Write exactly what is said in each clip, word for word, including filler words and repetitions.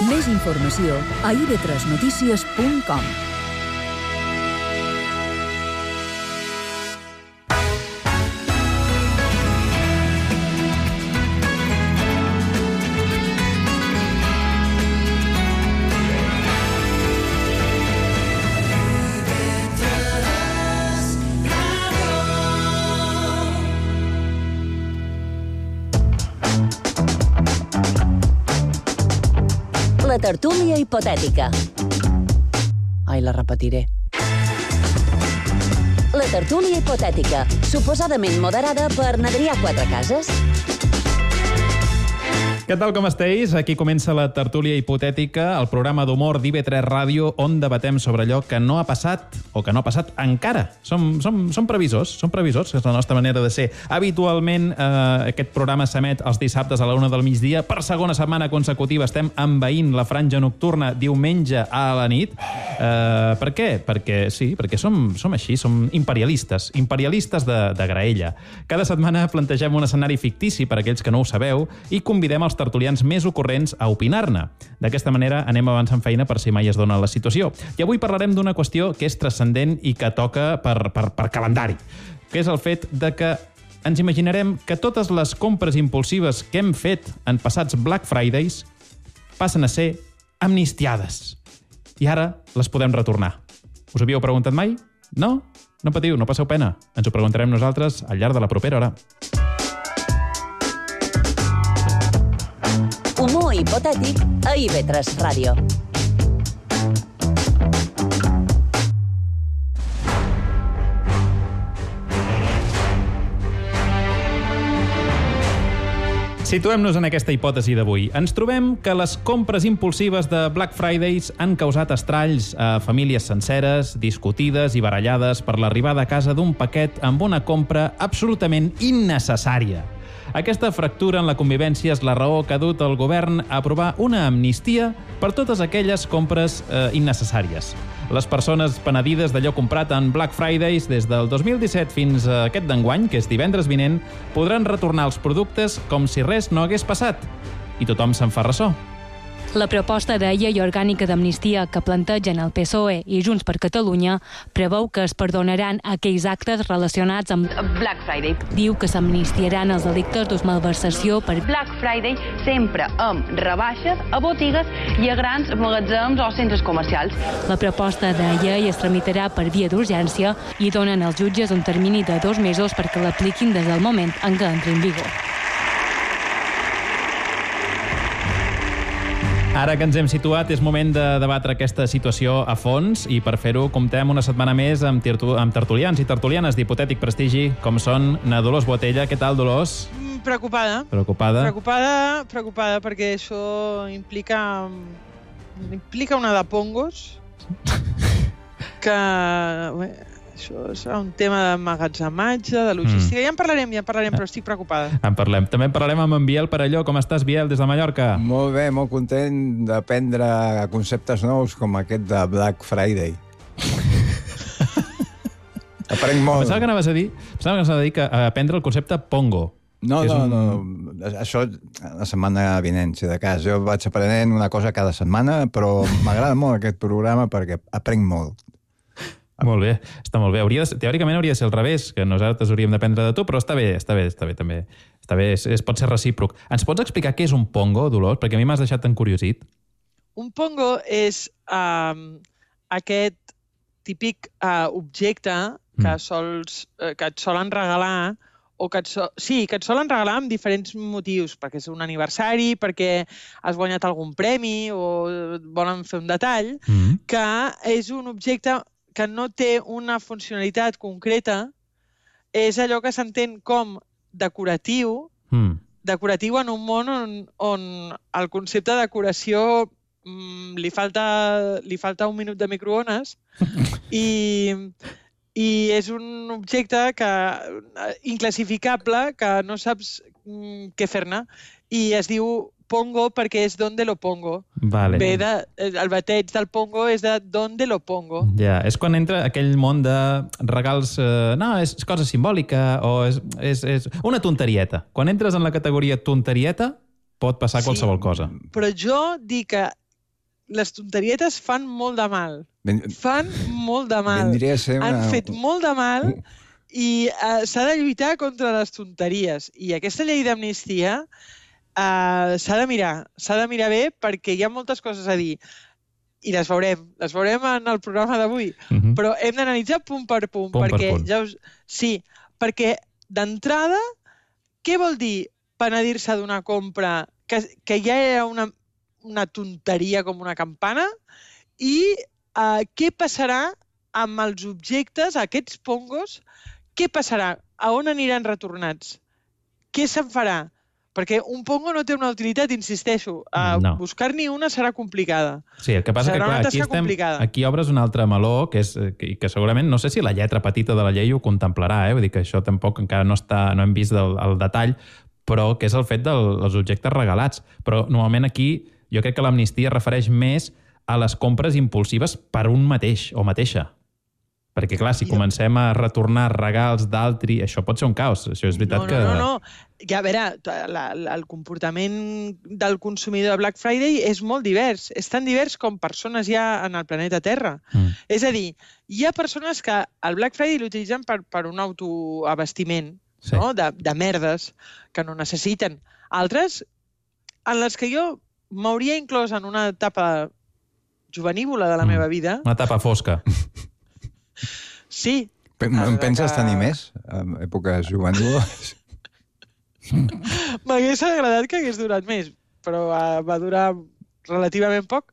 Més informació a i ve tres notícies punt com. La tertúlia hipotètica. Ai, la repetiré. La tertúlia hipotètica, suposadament moderada per n'Adrià Quatrecases. Què tal, com esteu? Aquí comença la tertúlia hipotètica, el programa d'humor d'I ve tres Ràdio, on debatem sobre allò que no ha passat o que no ha passat encara. Som, som, som previsors, som previsors, que és la nostra manera de ser. Habitualment, eh, aquest programa s'emet els dissabtes a la una del migdia. Per segona setmana consecutiva estem envaint la franja nocturna diumenge a la nit. Eh, per què? Perquè sí, perquè som, som així, som imperialistes, imperialistes de, de graella. Cada setmana plantegem un escenari fictici per a aquells que no ho sabeu i convidem els tertulians més ocorrents a opinar-ne. D'aquesta manera anem avançant feina per si mai es dona la situació. I avui parlarem d'una qüestió que és transcendent i que toca per, per, per calendari, que és el fet de que ens imaginarem que totes les compres impulsives que hem fet en passats Black Fridays passen a ser amnistiades. I ara les podem retornar. Us havíeu preguntat mai? No? No patiu, no passeu pena. Ens ho preguntarem nosaltres al llarg de la propera hora. Humor hipotètic a I ve tres Ràdio. Situem-nos en aquesta hipòtesi d'avui. Ens trobem que les compres impulsives de Black Fridays han causat estralls a famílies senceres, discutides i barallades per l'arribada a casa d'un paquet amb una compra absolutament innecessària. Aquesta fractura en la convivència és la raó que ha dut el govern a aprovar una amnistia per totes aquelles compres eh, innecessàries. Les persones penedides d'allò comprat en Black Fridays des del dos mil disset fins a aquest d'enguany, que és divendres vinent, podran retornar els productes com si res no hagués passat. I tothom se'n fa ressò. La proposta de llei orgànica d'amnistia que plantegen el P S O E i Junts per Catalunya preveu que es perdonaran aquells actes relacionats amb Black Friday. Diu que s'amnistiaran els delictes de malversació per Black Friday sempre amb rebaixes a botigues i a grans magatzems o centres comercials. La proposta de llei es tramitarà per via d'urgència i donen als jutges un termini de dos mesos perquè l'apliquin des del moment en què entri en vigor. Ara que ens hem situat, és moment de debatre aquesta situació a fons i per fer-ho comptem una setmana més amb, tertu amb tertulians i tertulianes d'hipotètic prestigi, com són na Dolors Boatella. Què tal, Dolors? Preocupada. Preocupada? Preocupada, preocupada perquè això implica, implica una de pongos que... Bé, això serà un tema d'emmagatzematge, de logística. Mm. Ja en parlarem, ja en parlarem, però estic preocupada. En parlem. També en parlarem amb en Biel Perelló. Com estàs, Biel, des de Mallorca? Molt bé, molt content d'aprendre conceptes nous com aquest de Black Friday. Aprenc molt. Pensava que anaves a dir, pensava que anaves a dir que aprendre el concepte Pongo. No, no, un... no. Això la setmana vinent, si de cas. Jo vaig aprenent una cosa cada setmana, però m'agrada molt aquest programa perquè aprenc molt. Molt bé, està molt bé. Hauria de, teòricament hauria de ser al revés, que nosaltres hauríem d'aprendre de tu, però està bé, està bé, està bé, també. Està bé, es, es pot ser recíproc. Ens pots explicar què és un pongo, Dolors? Perquè a mi m'has deixat tan curiosit. Un pongo és um, aquest típic uh, objecte que, mm. sols, uh, que et solen regalar o que et, so sí, que et solen regalar amb diferents motius, perquè és un aniversari, perquè has guanyat algun premi o volen fer un detall, mm. que és un objecte que no té una funcionalitat concreta, és allò que s'entén com decoratiu, mm. decoratiu en un món on, on el concepte de decoració mm, li, falta, li falta un minut de microones i, i és un objecte que, inclassificable que no saps mm, què fer-ne i es diu pongo perquè és donde lo pongo. Vale. Ve de, el bateig del pongo és de donde lo pongo. Ja, és quan entra aquell món de regals... Eh, no, és cosa simbòlica o és, és, és una tonterieta. Quan entres en la categoria tonterieta pot passar sí, qualsevol cosa. Però jo dic que, les tonterietes fan molt de mal. Ben... Fan molt de mal. Vendria a ser una... Han fet molt de mal i uh, s'ha de lluitar contra les tonteries. I aquesta llei d'amnistia uh, s'ha de mirar, s'ha de mirar bé perquè hi ha moltes coses a dir. I les veurem, les veurem en el programa d'avui. Uh-huh. Però hem d'analitzar punt per punt. Punt perquè per punt. Ja us... Sí, perquè d'entrada, què vol dir penedir-se d'una compra que, que ja era una, una tonteria com una campana? I uh, què passarà amb els objectes, aquests pongos? Què passarà? A on aniran retornats? Què se'n farà? Perquè un pongo no té una utilitat, insisteixo. Uh, no. Buscar-n'hi una serà complicada. Sí, el que passa serà que, clar, aquí, estem, aquí obres un altre meló, que és que, que segurament, no sé si la lletra petita de la llei ho contemplarà, eh? Vull dir que això tampoc encara no, està, no hem vist el, el detall, però que és el fet del, dels objectes regalats. Però normalment aquí jo crec que l'amnistia refereix més a les compres impulsives per un mateix o mateixa. Perquè, clar, si comencem a retornar regals d'altri, això pot ser un caos. Això és veritat no, no, que... No, no, no. Ja, a veure, la, la, el comportament del consumidor de Black Friday és molt divers. És tan divers com persones hi ha en el planeta Terra. Mm. És a dir, hi ha persones que el Black Friday l'utilitzen per, per un autoabastiment, sí. No? de, de merdes que no necessiten. Altres, en les que jo m'hauria inclòs en una etapa juvenívola de la mm. meva vida... Una etapa fosca. Sí. Em penses que... tenir més? En èpoques juvenils? M'hagués agradat que hagués durat més, però va, va durar relativament poc.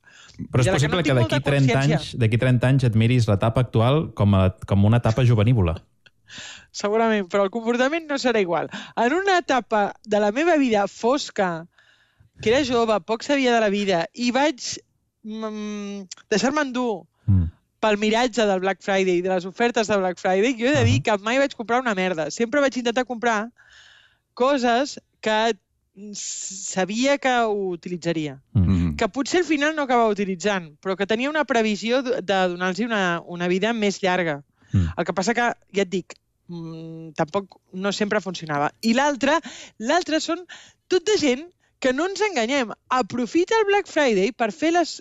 Però és possible que, que d'aquí trenta anys, d'aquí trenta anys et miris l'etapa actual com, a, com una etapa juvenívola. Segurament, però el comportament no serà igual. En una etapa de la meva vida fosca, que era jove, poc sabia de la vida, i vaig mm, deixar-me endur mm. pel miratge del Black Friday, de les ofertes de Black Friday, jo he de dir que mai vaig comprar una merda. Sempre vaig intentar comprar coses que sabia que ho utilitzaria. Mm-hmm. Que potser al final no acabava utilitzant, però que tenia una previsió de donar-los una, una vida més llarga. Mm. El que passa que, ja et dic, mmm, tampoc no sempre funcionava. I l'altre, l'altre són tot de gent que no ens enganyem. Aprofita el Black Friday per fer les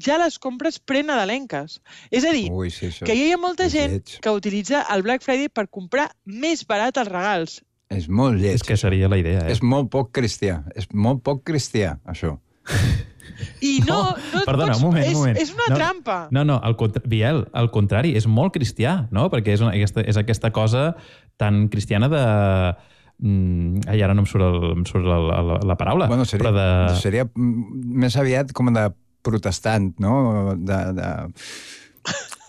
ja les compres prenadalenques. És a dir, Ui, sí, que hi ha molta gent lleig. que utilitza el Black Friday per comprar més barat els regals. És molt lleig. És que seria la idea, eh? És molt poc cristià. És molt poc cristià, això. I no... no Perdona, pots, un moment, és, un moment. És una no, trampa. No, no, al contra... Biel, al contrari, és molt cristià, no? Perquè és, una, aquesta, és aquesta cosa tan cristiana de... Mm, ai, ara no em surt, el, em surt la, la, la paraula. Bueno, seria, però de... seria més aviat com de protestant, no? De, de...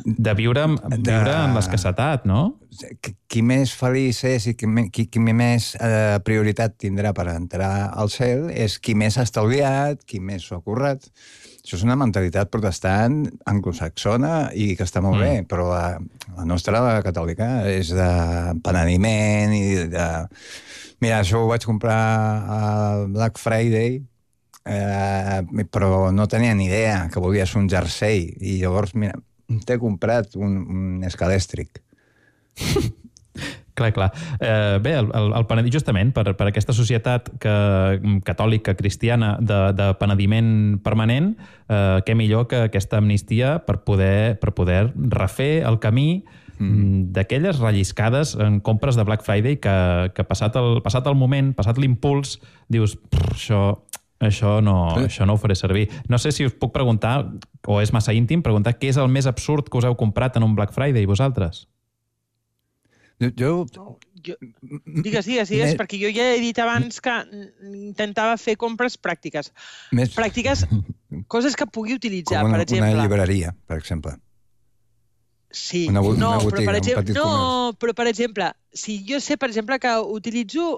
de viure, viure de... en l'escassetat, no? Qui més feliç és i qui, qui, qui més eh, prioritat tindrà per entrar al cel és qui més ha estalviat, qui més s'ho ha currat. Això és una mentalitat protestant anglosaxona i que està molt mm. bé, però la, la nostra, la catòlica, és de penediment i de... Mira, això ho vaig comprar a Black Friday, eh, però no tenia ni idea que volies un jersei. I llavors, mira, t'he comprat un, un escalèstric. Clar, clar. Eh, bé, el, el, el penediment, justament, per, per aquesta societat que, catòlica, cristiana, de, de penediment permanent, eh, què millor que aquesta amnistia per poder, per poder refer el camí mm. d'aquelles relliscades en compres de Black Friday que, que passat, el, passat el moment, passat l'impuls, dius, això... Això no, sí. això no ho faré servir. No sé si us puc preguntar, o és massa íntim, preguntar què és el més absurd que us heu comprat en un Black Friday, vosaltres? Jo... jo... No, jo... Digues, digues, digues, més... perquè jo ja he dit abans que intentava fer compres pràctiques. Més... Pràctiques, coses que pugui utilitzar, una, per exemple. Una llibreria, per exemple. Sí, una, no, una botiga, però, per exemple, no comerç. però per exemple, si jo sé, per exemple, que utilitzo,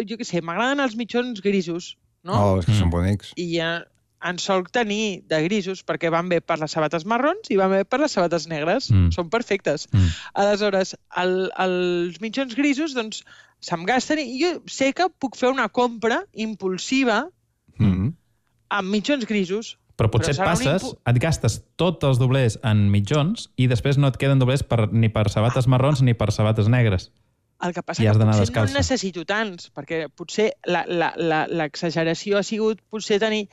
jo què sé, m'agraden els mitjons grisos, no? Oh, és que mm. són bonics. I eh, en solc tenir de grisos perquè van bé per les sabates marrons i van bé per les sabates negres. Mm. Són perfectes. Mm. Aleshores, el, els mitjons grisos, doncs, se'm gasten i jo sé que puc fer una compra impulsiva mm. amb mitjons grisos. Però potser però et passes, impu... et gastes tots els doblers en mitjons i després no et queden doblers per, ni per sabates marrons ni per sabates negres. El que passa és que potser no en necessito tants, perquè potser l'exageració ha sigut potser tenir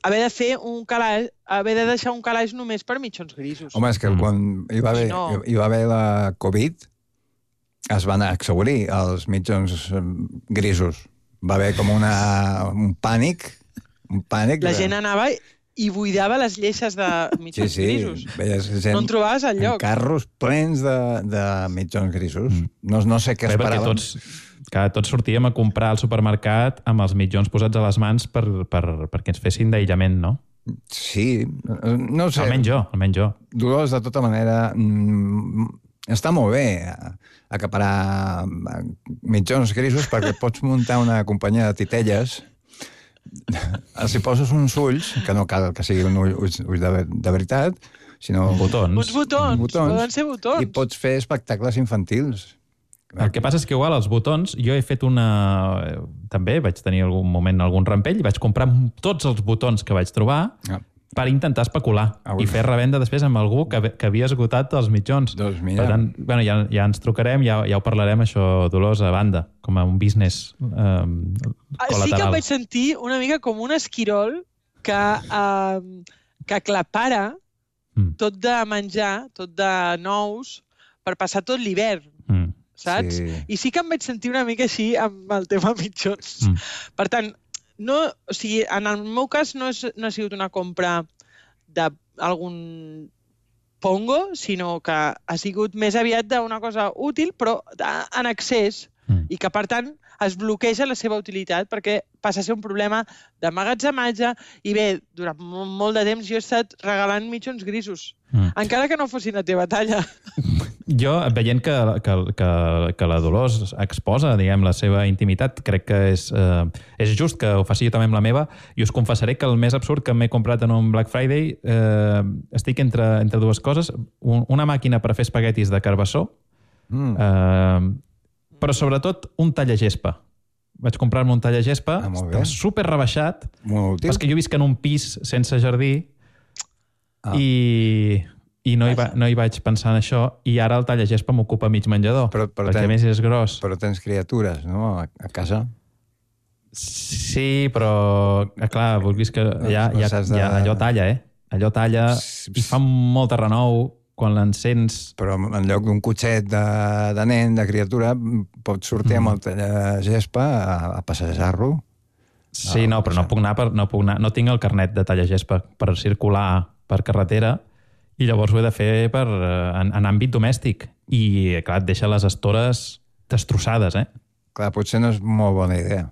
haver de fer un calaix, haver de deixar un calaix només per mitjons grisos. Home, és que mm. quan hi va, haver, no. hi va haver la Covid, es van exaurir els mitjons grisos. Va haver com una, un pànic, un pànic. La gent anava i buidava les lleixes de mitjons sí, sí. grisos. Veies gent no en trobaves al lloc. Carros plens de, de mitjons grisos. Mm. No, no sé què Bé, esperaven. Tots, que tots sortíem a comprar al supermercat amb els mitjons posats a les mans per, per, perquè ens fessin d'aïllament, no? Sí, no sé. Almenys jo, almenys jo. Dolors, de tota manera, mm, està molt bé acaparar mitjons grisos perquè pots muntar una companyia de titelles. Si poses uns ulls, que no cal que siguin ulls, ulls de, de veritat, sinó... Botons. Uns botons, botons, poden ser botons. I pots fer espectacles infantils. El que passa és que igual els botons, jo he fet una... També vaig tenir algun moment algun rampell i vaig comprar tots els botons que vaig trobar ah. per intentar especular ah, i fer revenda després amb algú que, que havia esgotat els mitjons. Doncs mira. Per tant, bueno, ja, ja ens trucarem, ja, ja ho parlarem, això, Dolors, a banda, com a un business eh, col·lateral. Sí que em vaig sentir una mica com un esquirol que, eh, que aclapara mm. tot de menjar, tot de nous, per passar tot l'hivern. Mm. Saps? Sí. I sí que em vaig sentir una mica així amb el tema mitjons. Mm. Per tant, no, o sigui, en el meu cas no, és, no ha sigut una compra d'algun pongo, sinó que ha sigut més aviat d'una cosa útil, però en excés, mm. i que, per tant, es bloqueja la seva utilitat perquè passa a ser un problema d'emmagatzematge i bé, durant molt de temps jo he estat regalant mitjons grisos, mm. encara que no fossin la teva talla. Jo, veient que, que, que, que la Dolors exposa, diguem, la seva intimitat, crec que és, eh, és just que ho faci jo també amb la meva, i us confessaré que el més absurd que m'he comprat en un Black Friday eh, estic entre, entre dues coses, un, una màquina per fer espaguetis de carbassó, mm. eh, però sobretot un tallagespa. Vaig comprar-me un tallagespa, ah, estava super rebaixat, però és que jo visc en un pis sense jardí ah. i... I no hi, va, no hi vaig pensar en això, i ara el tallagespa m'ocupa mig menjador, però, però perquè ten, a més és gros. Però tens criatures, no?, a, a casa. Sí, però, clar, vulguis que... Ja, ja, ja, de... allò talla, eh? Allò talla i fa molt de renou quan l'encens... Però en lloc d'un cotxet de, de nen, de criatura, pots sortir mm. amb el tallagespa a, a passejar-lo. Sí, no, però no puc anar per, no puc anar... No tinc el carnet de tallagespa per circular per carretera, i llavors ho he de fer per, en, en àmbit domèstic. I, clar, et deixa les estores destrossades, eh? Clar, potser no és molt bona idea.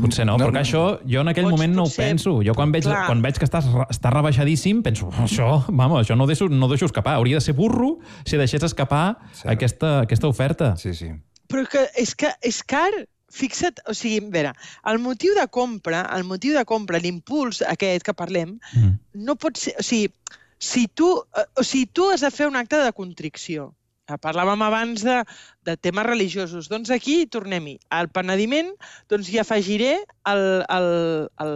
Potser no, no però que això jo en aquell pots, moment no ho penso. Jo quan veig, quan veig que estàs, està rebaixadíssim, penso, això, vamos, això no ho deixo, no ho deixo escapar. Hauria de ser burro si deixés escapar sí. aquesta, aquesta oferta. Sí, sí. Però que és que és car. Fixa't, o sigui, a veure, el motiu de compra, el motiu de compra, l'impuls aquest que parlem, mm. no pot ser... O sigui, Si tu, o sigui, tu has de fer un acte de contricció. Parlàvem abans de, de temes religiosos. Doncs aquí tornem-hi. Al penediment doncs hi afegiré el, el, el,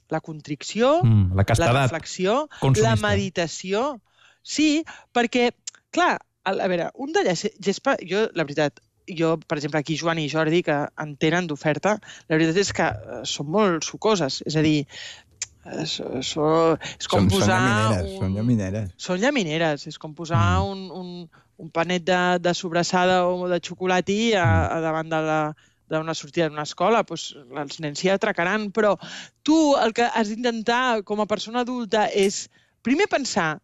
la contricció, mm, la, la reflexió, consumista. La meditació. Sí, perquè, clar, a veure, un de gespa, jo, la veritat, jo, per exemple, aquí Joan i Jordi, que en tenen d'oferta, la veritat és que són molt sucoses. És a dir, Això, això, és com són, posar... Són llamineres, un... són llamineres. Són llamineres, és com posar mm. un, un, un panet de, de sobrassada o de xocolati a, a davant de la, d'una sortida d'una escola. Pues, els nens s'hi atracaran, però tu el que has d'intentar com a persona adulta és primer pensar,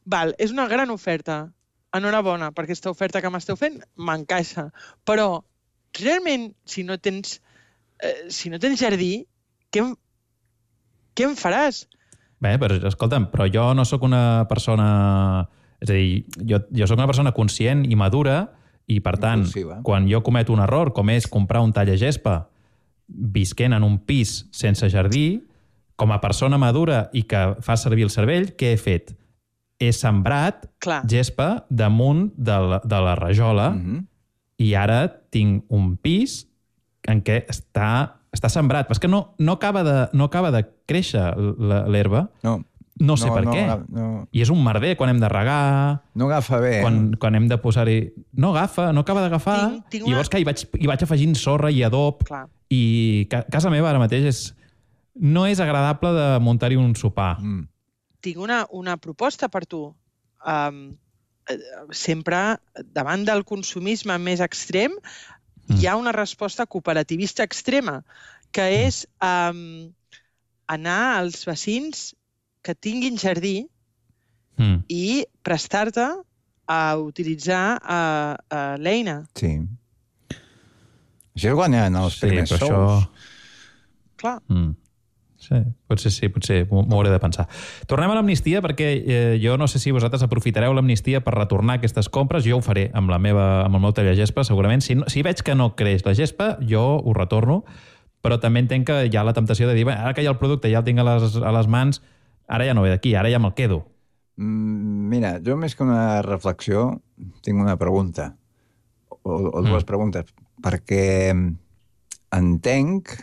val, és una gran oferta, enhorabona, perquè aquesta oferta que m'esteu fent m'encaixa, però realment, si no tens, eh, si no tens jardí, què em Què em faràs? Bé, però escolta'm, però jo no sóc una persona... És a dir, jo, jo sóc una persona conscient i madura i, per tant, impulsiva. Quan jo cometo un error, com és comprar un tallagespa visquent en un pis sense jardí, com a persona madura i que fa servir el cervell, què he fet? He sembrat Clar. gespa damunt de la, de la rajola mm-hmm. i ara tinc un pis en què està... està sembrat, però és que no, no, acaba, de, no acaba de créixer l'herba. No. No sé no, per no, què. No. I és un merder quan hem de regar... No agafa bé. Quan, eh? quan hem de posar-hi... No agafa, no acaba d'agafar. Tinc, tinc una... I llavors que hi vaig, hi vaig afegint sorra i adob. Clar. I ca, casa meva ara mateix és... no és agradable de muntar-hi un sopar. Mm. Tinc una, una proposta per tu. Um, sempre, davant del consumisme més extrem, mm. hi ha una resposta cooperativista extrema, que és um, anar als vecins que tinguin jardí mm. i prestar-te a utilitzar uh, uh, l'eina. Sí. Això és guanyant els sí, primers sous. Això... Clar. Mm. Sí, potser sí, potser m'ho hauré de pensar. Tornem a l'amnistia perquè eh, jo no sé si vosaltres aprofitareu l'amnistia per retornar aquestes compres. Jo ho faré amb, la meva, amb el meu tallagespa, segurament. Si, no, si veig que no creix la gespa, jo ho retorno, però també entenc que hi ha la temptació de dir ara que hi ha el producte, ja el tinc a les, a les mans, ara ja no ve d'aquí, ara ja me'l quedo. Mm, mira, jo més que una reflexió tinc una pregunta, o, o dues mm. preguntes, perquè entenc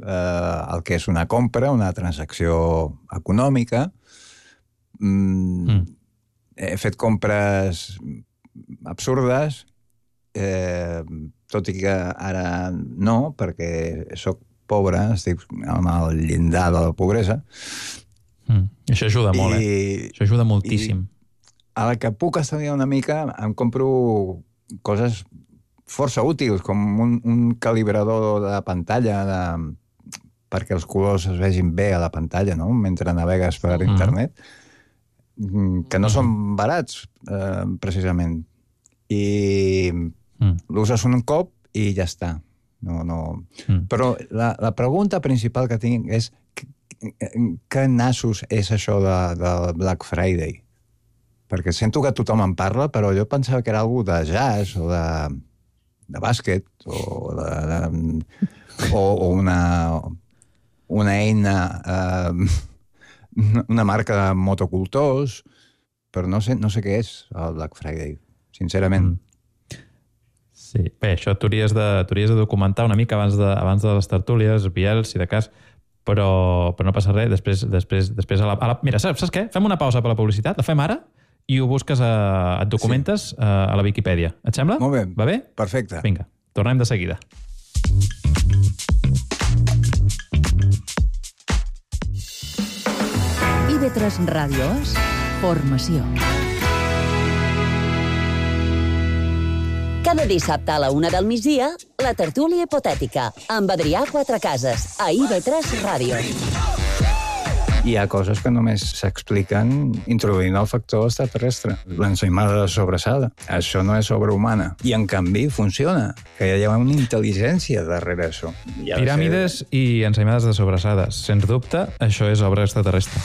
eh, el que és una compra, una transacció econòmica. Mm, mm. He fet compres absurdes, eh, tot i que ara no, perquè sóc pobre, estic amb el llindar de la pobresa. Mm. Això ajuda molt, I, eh? Això ajuda moltíssim. A la que puc estalviar una mica, em compro coses força útils, com un, un calibrador de pantalla de, perquè els colors es vegin bé a la pantalla, no?, mentre navegues per mm. internet, que no mm. són barats, eh, precisament. I mm. l'uses un cop i ja està. No, no. Mm. Però la, la pregunta principal que tinc és què nassos és això de, de Black Friday? Perquè sento que tothom en parla, però jo pensava que era algú de jazz o de, de bàsquet o, de, de, o, o una, una eina, eh, una marca de motocultors, però no sé, no sé què és el Black Friday, sincerament. Mm. Sí, bé, això t'hauries de, t'hauries de documentar una mica abans de, abans de les tertúlies, Biel, si de cas, però, però no passa res. Després, després, després a la, a la... Mira, saps, saps què? Fem una pausa per la publicitat, la fem ara, i ho busques, a, et documentes sí. a, a la Viquipèdia. Et sembla? Molt bé. Va bé? Perfecte. Vinga, tornem de seguida. I V tres Ràdio és formació. Cada dissabte a la una del migdia, la tertúlia hipotètica, amb Adrià Quatrecases, a I V tres Ràdio. Hi ha coses que només s'expliquen introduint el factor extraterrestre. L'ensaïmada de sobrassada. Això no és obra humana. I, en canvi, funciona. Que hi ha una intel·ligència darrere això. Ja Piràmides ser... i ensaïmades de sobrassades. Sens dubte, això és obra extraterrestre.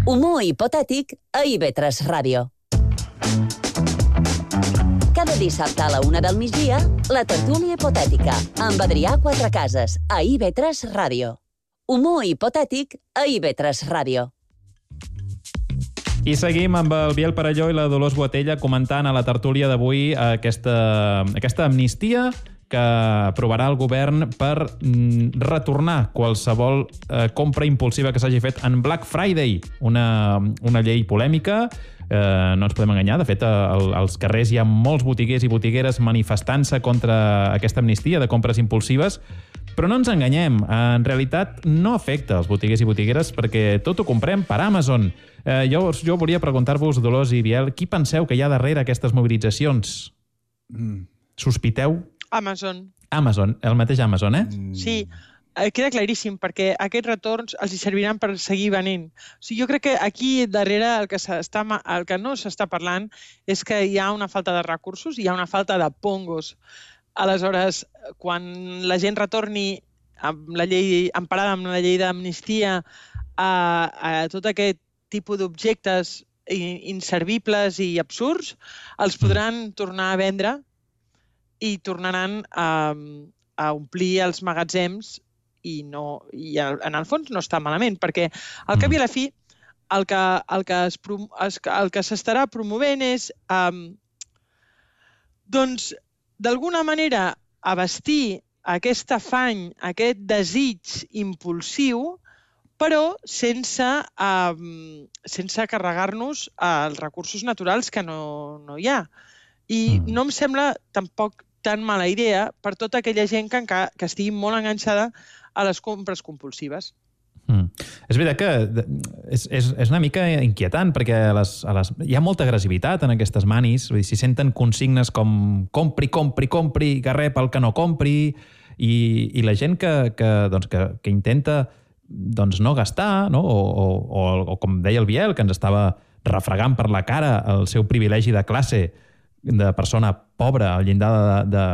Humor hipotètic a I V tres Ràdio. Cada dissabte a la una del migdia, la tertúlia hipotètica, amb Adrià Quatrecases, a I V tres Ràdio. Humor hipotètic a I V tres Ràdio. I seguim amb el Biel Parelló i la Dolors Boatella comentant a la tertúlia d'avui aquesta, aquesta amnistia que aprovarà el govern per retornar qualsevol eh, compra impulsiva que s'hagi fet en Black Friday, una, una llei polèmica. Eh, no ens podem enganyar, de fet el, als carrers hi ha molts botiguers i botigueres manifestant-se contra aquesta amnistia de compres impulsives, però no ens enganyem, en realitat no afecta els botiguers i botigueres perquè tot ho comprem per Amazon. Eh, jo, jo volia preguntar-vos, Dolors i Biel, qui penseu que hi ha darrere aquestes mobilitzacions? Mm. Sospiteu? Amazon. Amazon, el mateix Amazon, eh? Sí, queda claríssim, perquè aquests retorns els hi serviran per seguir venent. O sigui, jo crec que aquí darrere el que, s'està, el que no s'està parlant és que hi ha una falta de recursos, hi ha una falta de pongos. Aleshores, quan la gent retorni amb la llei, emparada amb la llei d'amnistia a, a tot aquest tipus d'objectes inservibles i absurds, els podran tornar a vendre i tornaran a, a omplir els magatzems i, no, i en el fons no està malament, perquè al cap i a la fi el que, el que, es, el que s'estarà promovent és um, doncs d'alguna manera abastir aquest afany, aquest desig impulsiu, però sense, um, sense carregar-nos els recursos naturals que no, no hi ha. I mm. no em sembla tampoc tan mala idea per tota aquella gent que, que estigui molt enganxada a les compres compulsives. Mm. És veritat que és, és, és una mica inquietant, perquè a les, a les, hi ha molta agressivitat en aquestes manis, vull dir, s'hi senten consignes com compri, compri, compri, garrer pel que no compri, i, i la gent que, que, doncs, que, que intenta doncs, no gastar, no? O, o, o, o com deia el Biel, que ens estava refregant per la cara el seu privilegi de classe de persona pobra al llindar de, de,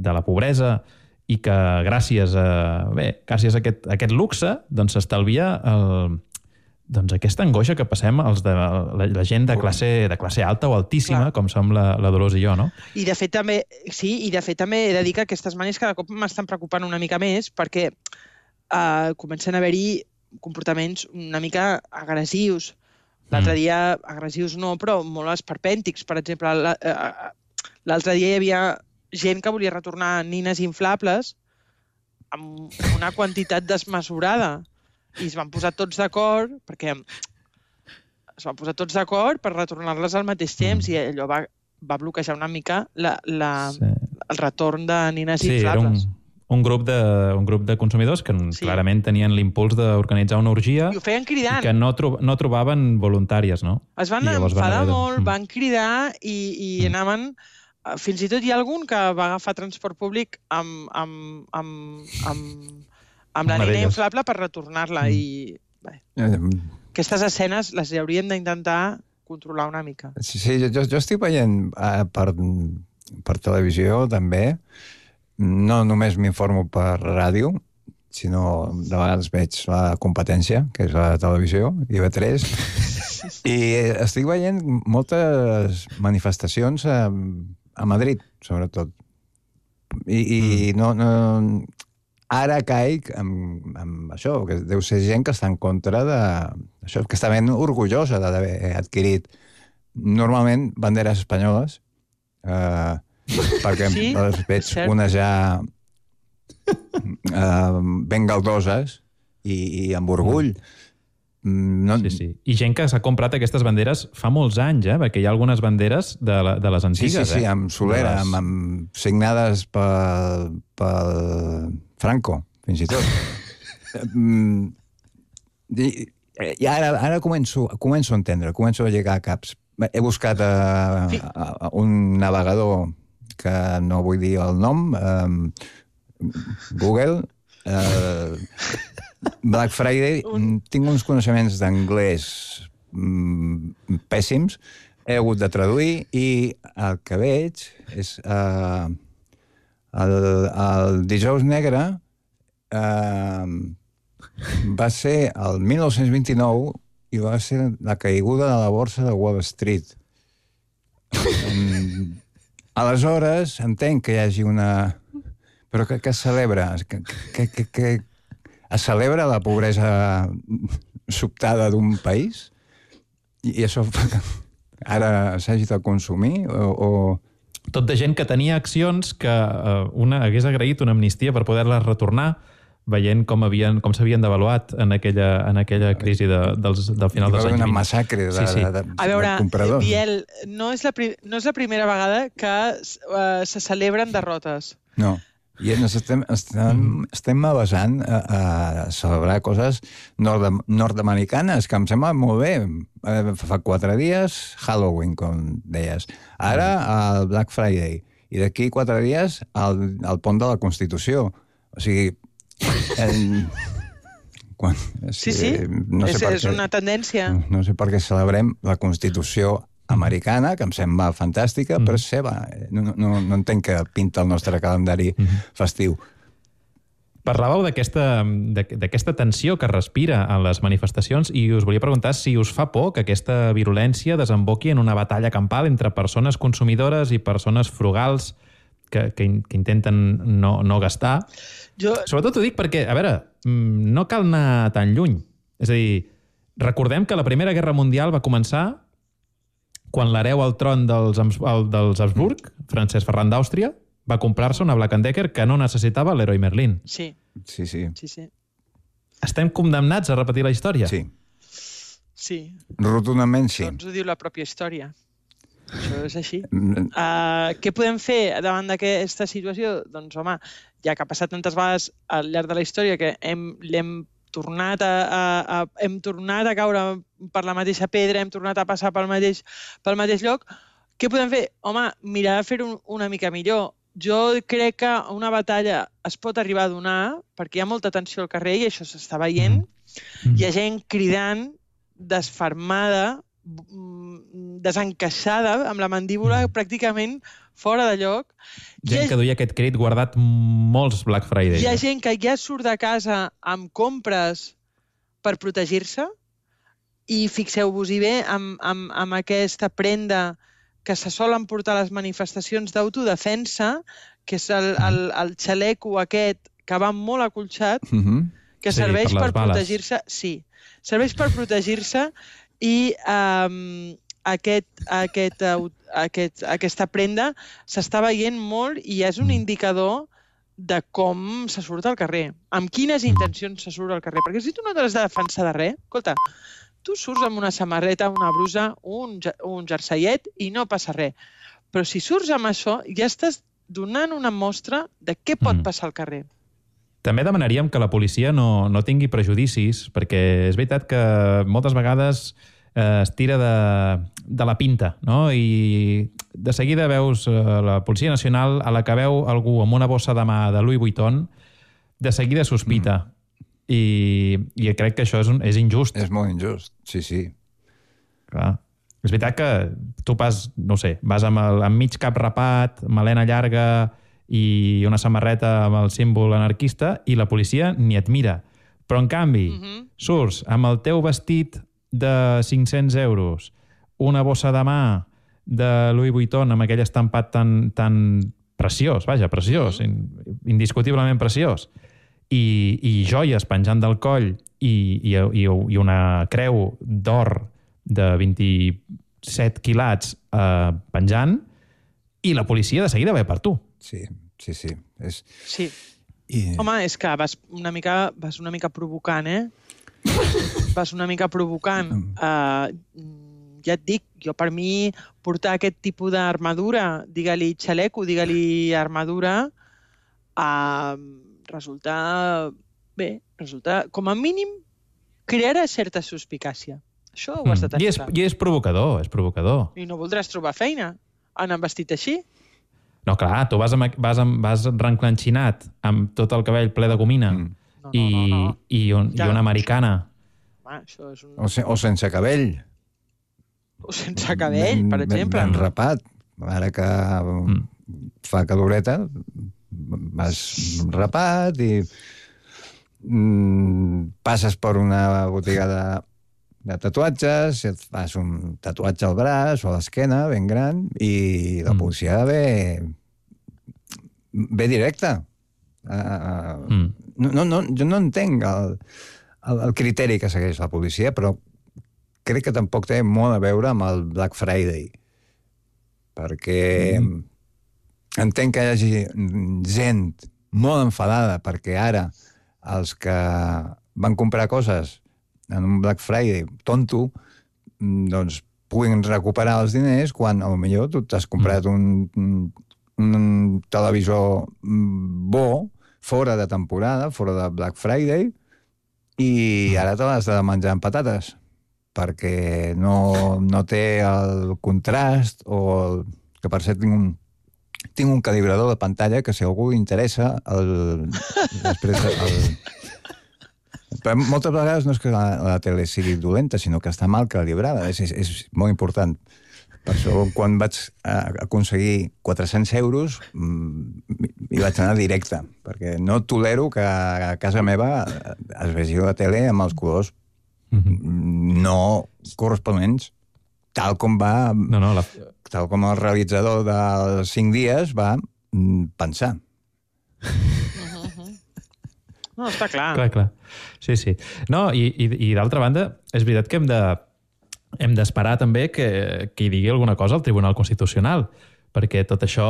de la pobresa, i que gràcies a, bé, gràcies a aquest, a aquest luxe doncs s'estalvia el, doncs aquesta angoixa que passem els de, la, la gent de classe, de classe alta o altíssima, Clar. com som la, la Dolors i jo, no? I de fet també, sí, i de fet també he de dir que aquestes manis cada cop m'estan preocupant una mica més perquè uh, comencen a haver-hi comportaments una mica agressius. L'altre mm. dia, agressius no, però molt esperpèntics. Per exemple, l'altre dia hi havia gent que volia retornar nines inflables amb una quantitat desmesurada. I es van posar tots d'acord, perquè es van posar tots d'acord per retornar-les al mateix temps, mm. i allò va, va bloquejar una mica la, la, sí. el retorn de nines sí, inflables. Era un, un, grup de, un grup de consumidors que sí. clarament tenien l'impuls d'organitzar una orgia i ho feien cridant. I que no, tro no trobaven voluntàries, no? Es van enfadar van molt, de... van cridar i, i mm. anaven... Fins i tot hi ha algun que va agafar transport públic amb, amb, amb, amb, amb la nina inflable per retornar-la. Mm. I bé, aquestes escenes les hauríem d'intentar controlar una mica. Sí, sí jo, jo estic veient uh, per, per televisió també. No només m'informo per ràdio, sinó de vegades veig la competència, que és la televisió, I V tres, i estic veient moltes manifestacions a, a Madrid, sobretot. I, i mm. no, no, ara caic amb, amb això, que deu ser gent que està en contra de... Això, que està ben orgullosa d'haver adquirit normalment banderes espanyoles, eh, perquè sí, les veig unes ja eh, ben galdoses i, i amb orgull. No... Sí, sí. I gent que s'ha comprat aquestes banderes fa molts anys, eh? Perquè hi ha algunes banderes de, la, de les antigues. Sí, sí, sí, eh? amb solera, les... amb, amb signades pel, pel Franco, fins i tot. I, i ara, ara començo, començo a entendre, començo a llegar a caps. He buscat a, a, a un navegador que no vull dir el nom, um, Google, uh, Black Friday, un... tinc uns coneixements d'anglès mm, pèssims, he hagut de traduir i el que veig és uh, el, el dijous negre uh, va ser el mil nou-cents vint-i-nou i va ser la caiguda de la borsa de Wall Street. um, aleshores entenc que hi hagi una... Però que, que es celebra? Que, que, que, que es celebra la pobresa sobtada d'un país? I, i això ara s'hagi de consumir? O, o... Tot de gent que tenia accions que eh, una hagués agraït una amnistia per poder-les retornar, veient com havien com s'havien devaluat en aquella, en aquella crisi de, dels, del final dels anys vint. Hi va haver una massacre de, sí, sí. de, de, a veure, de compradors. Biel, no és, la no és la primera vegada que uh, se celebren derrotes. No. I ens estem, estem, estem basant a, a celebrar coses nord nord-americanes, que em sembla molt bé. Fa quatre dies, Halloween, com deies. Ara, el Black Friday. I d'aquí quatre dies, el, el pont de la Constitució. O sigui... En, quan, sí, sí, no sé és, és què, una tendència. No sé per què celebrem la Constitució americana, que em sembla fantàstica, mm. però és seva. No, no, no entenc que pinta el nostre calendari mm. festiu. Parlàveu d'aquesta tensió que respira en les manifestacions i us volia preguntar si us fa por que aquesta virulència desemboqui en una batalla campal entre persones consumidores i persones frugals que, que, que intenten no, no gastar. Jo... Sobretot ho dic perquè, a veure, no cal anar tan lluny. És a dir, recordem que la Primera Guerra Mundial va començar quan l'hereu al tron dels, dels Habsburg, Francesc Ferran d'Àustria, va comprar-se una Black and Decker que no necessitava l'Heroi Merlin. Sí. Sí, sí. sí, sí. Estem condemnats a repetir la història? Sí. Sí. Rotundament sí. Això ens ho diu la pròpia història. Això és així. Uh, què podem fer davant d'aquesta situació? Doncs, home, ja que ha passat tantes vegades al llarg de la història que hem, l'hem tornat a, a, a, hem tornat a caure per la mateixa pedra, hem tornat a passar pel mateix, pel mateix lloc. Què podem fer? Home, mirar de fer-ho una mica millor. Jo crec que una batalla es pot arribar a donar, perquè hi ha molta tensió al carrer i això s'està veient. Mm. Hi ha gent cridant, desfermada, desencaixada, amb la mandíbula mm. pràcticament fora de lloc. Gent que duia aquest crit guardat molts Black Friday. Hi ha gent que ja surt de casa amb compres per protegir-se i fixeu-vos-hi bé amb, amb, amb aquesta prenda que se solen portar a les manifestacions d'autodefensa, que és el, el, el xaleco aquest que va molt acolxat, mm-hmm. que sí, serveix per, per protegir-se. Sí, serveix per protegir-se i um, aquest, aquest, aquest, aquesta prenda s'està veient molt i és un indicador de com se surt al carrer, amb quines intencions se surt al carrer. Perquè si tu no t'has de defensar de res, escolta, tu surts amb una samarreta, una brusa, un, un jerseiet i no passa res. Però si surts amb això, ja estàs donant una mostra de què pot mm. passar al carrer. També demanaríem que la policia no, no tingui prejudicis, perquè és veritat que moltes vegades eh, es tira de, de la pinta, no? I de seguida veus eh, la Policia Nacional, a la que veu algú amb una bossa de mà de Louis Vuitton, de seguida sospita. Mm. I, I crec que això és, un, és injust. És molt injust, sí, sí. Clar. És veritat que tu vas, no sé, vas amb, el, amb mig cap rapat, melena llarga i una samarreta amb el símbol anarquista i la policia ni et mira. Però, en canvi, mm-hmm. surts amb el teu vestit de cinc-cents euros, una bossa de mà de Louis Vuitton amb aquell estampat tan, tan preciós, vaja, preciós, mm-hmm. indiscutiblement preciós, i, i joies penjant del coll i, i, i, i una creu d'or de vint-i-set quilats eh, penjant, i la policia de seguida ve per tu. Sí, sí, sí. És... Sí. I... Home, és que vas una mica, vas una mica provocant, eh? Vas una mica provocant. Uh, ja et dic, jo per mi portar aquest tipus d'armadura, digue-li xaleco, digue-li armadura, uh, resulta... Bé, resulta, com a mínim, crearà certa suspicàcia. Això ho has de tenir. I és, I és provocador, és provocador. I no voldràs trobar feina anant vestit així? No, clar, tu vas, amb, vas, amb, vas renclanxinat amb tot el cabell ple de gomina mm. no, no, i, no, no. I, un, ja, i una americana. Home, això és un... o, se, o sense cabell. O sense cabell, ben, per exemple. Ben, ben rapat. Ara que mm. fa caloreta, vas rapat i mm, passes per una botiga de de tatuatges, et fas un tatuatge al braç o a l'esquena, ben gran, i la policia mm. ve, ve directe. Uh, mm. no, no, no, jo no entenc el, el, el criteri que segueix la policia, però crec que tampoc té molt a veure amb el Black Friday. Perquè mm. entenc que hi hagi gent molt enfadada perquè ara els que van comprar coses en un Black Friday tonto, doncs puguin recuperar els diners quan potser tu t'has comprat un, un, un televisor bo, fora de temporada, fora de Black Friday, i ara te l'has de menjar amb patates, perquè no, no té el contrast, o el, que per cert tinc un, tinc un calibrador de pantalla que si algú li interessa, el, després el, però moltes vegades no és que la, la tele sigui dolenta, sinó que està mal calibrada. És, és, és molt important. Per això, quan vaig aconseguir quatre-cents euros, hi vaig anar directe, perquè no tolero que a casa meva es vegi la tele amb els colors mm-hmm. no corresponents, tal com va... No, no, la... Tal com el realitzador dels cinc dies va pensar. No, està clar. Clar, clar. Sí, sí. No, i, i, i d'altra banda, és veritat que hem de hem d'esperar també que, que hi digui alguna cosa al Tribunal Constitucional, perquè tot això,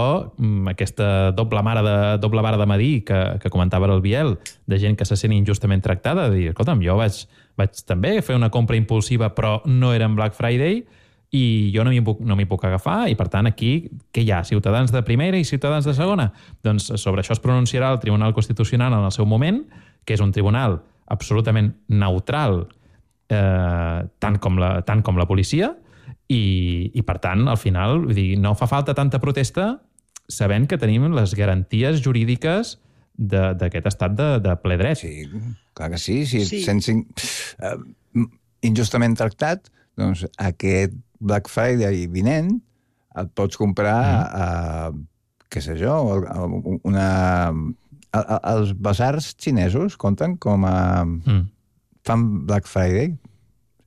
aquesta doble mare de, doble vara de medir que, que comentava el Biel, de gent que se sent injustament tractada, de dir, escolta'm, jo vaig, vaig també fer una compra impulsiva, però no era en Black Friday, i jo no m'hi puc, no m'hi puc agafar, i per tant aquí, què hi ha? Ciutadans de primera i ciutadans de segona? Doncs sobre això es pronunciarà el Tribunal Constitucional en el seu moment, que és un tribunal absolutament neutral, eh, tant, com la, tant com la policia, i, i per tant, al final, vull dir, no fa falta tanta protesta sabent que tenim les garanties jurídiques d'aquest estat de, de ple dret. Sí, clar que sí. Si Sí. et sents in, uh, injustament tractat, doncs aquest Black Friday vinent et pots comprar, mm. uh, què sé jo, una... A, a, els basars xinesos compten com a... Mm. Fan Black Friday?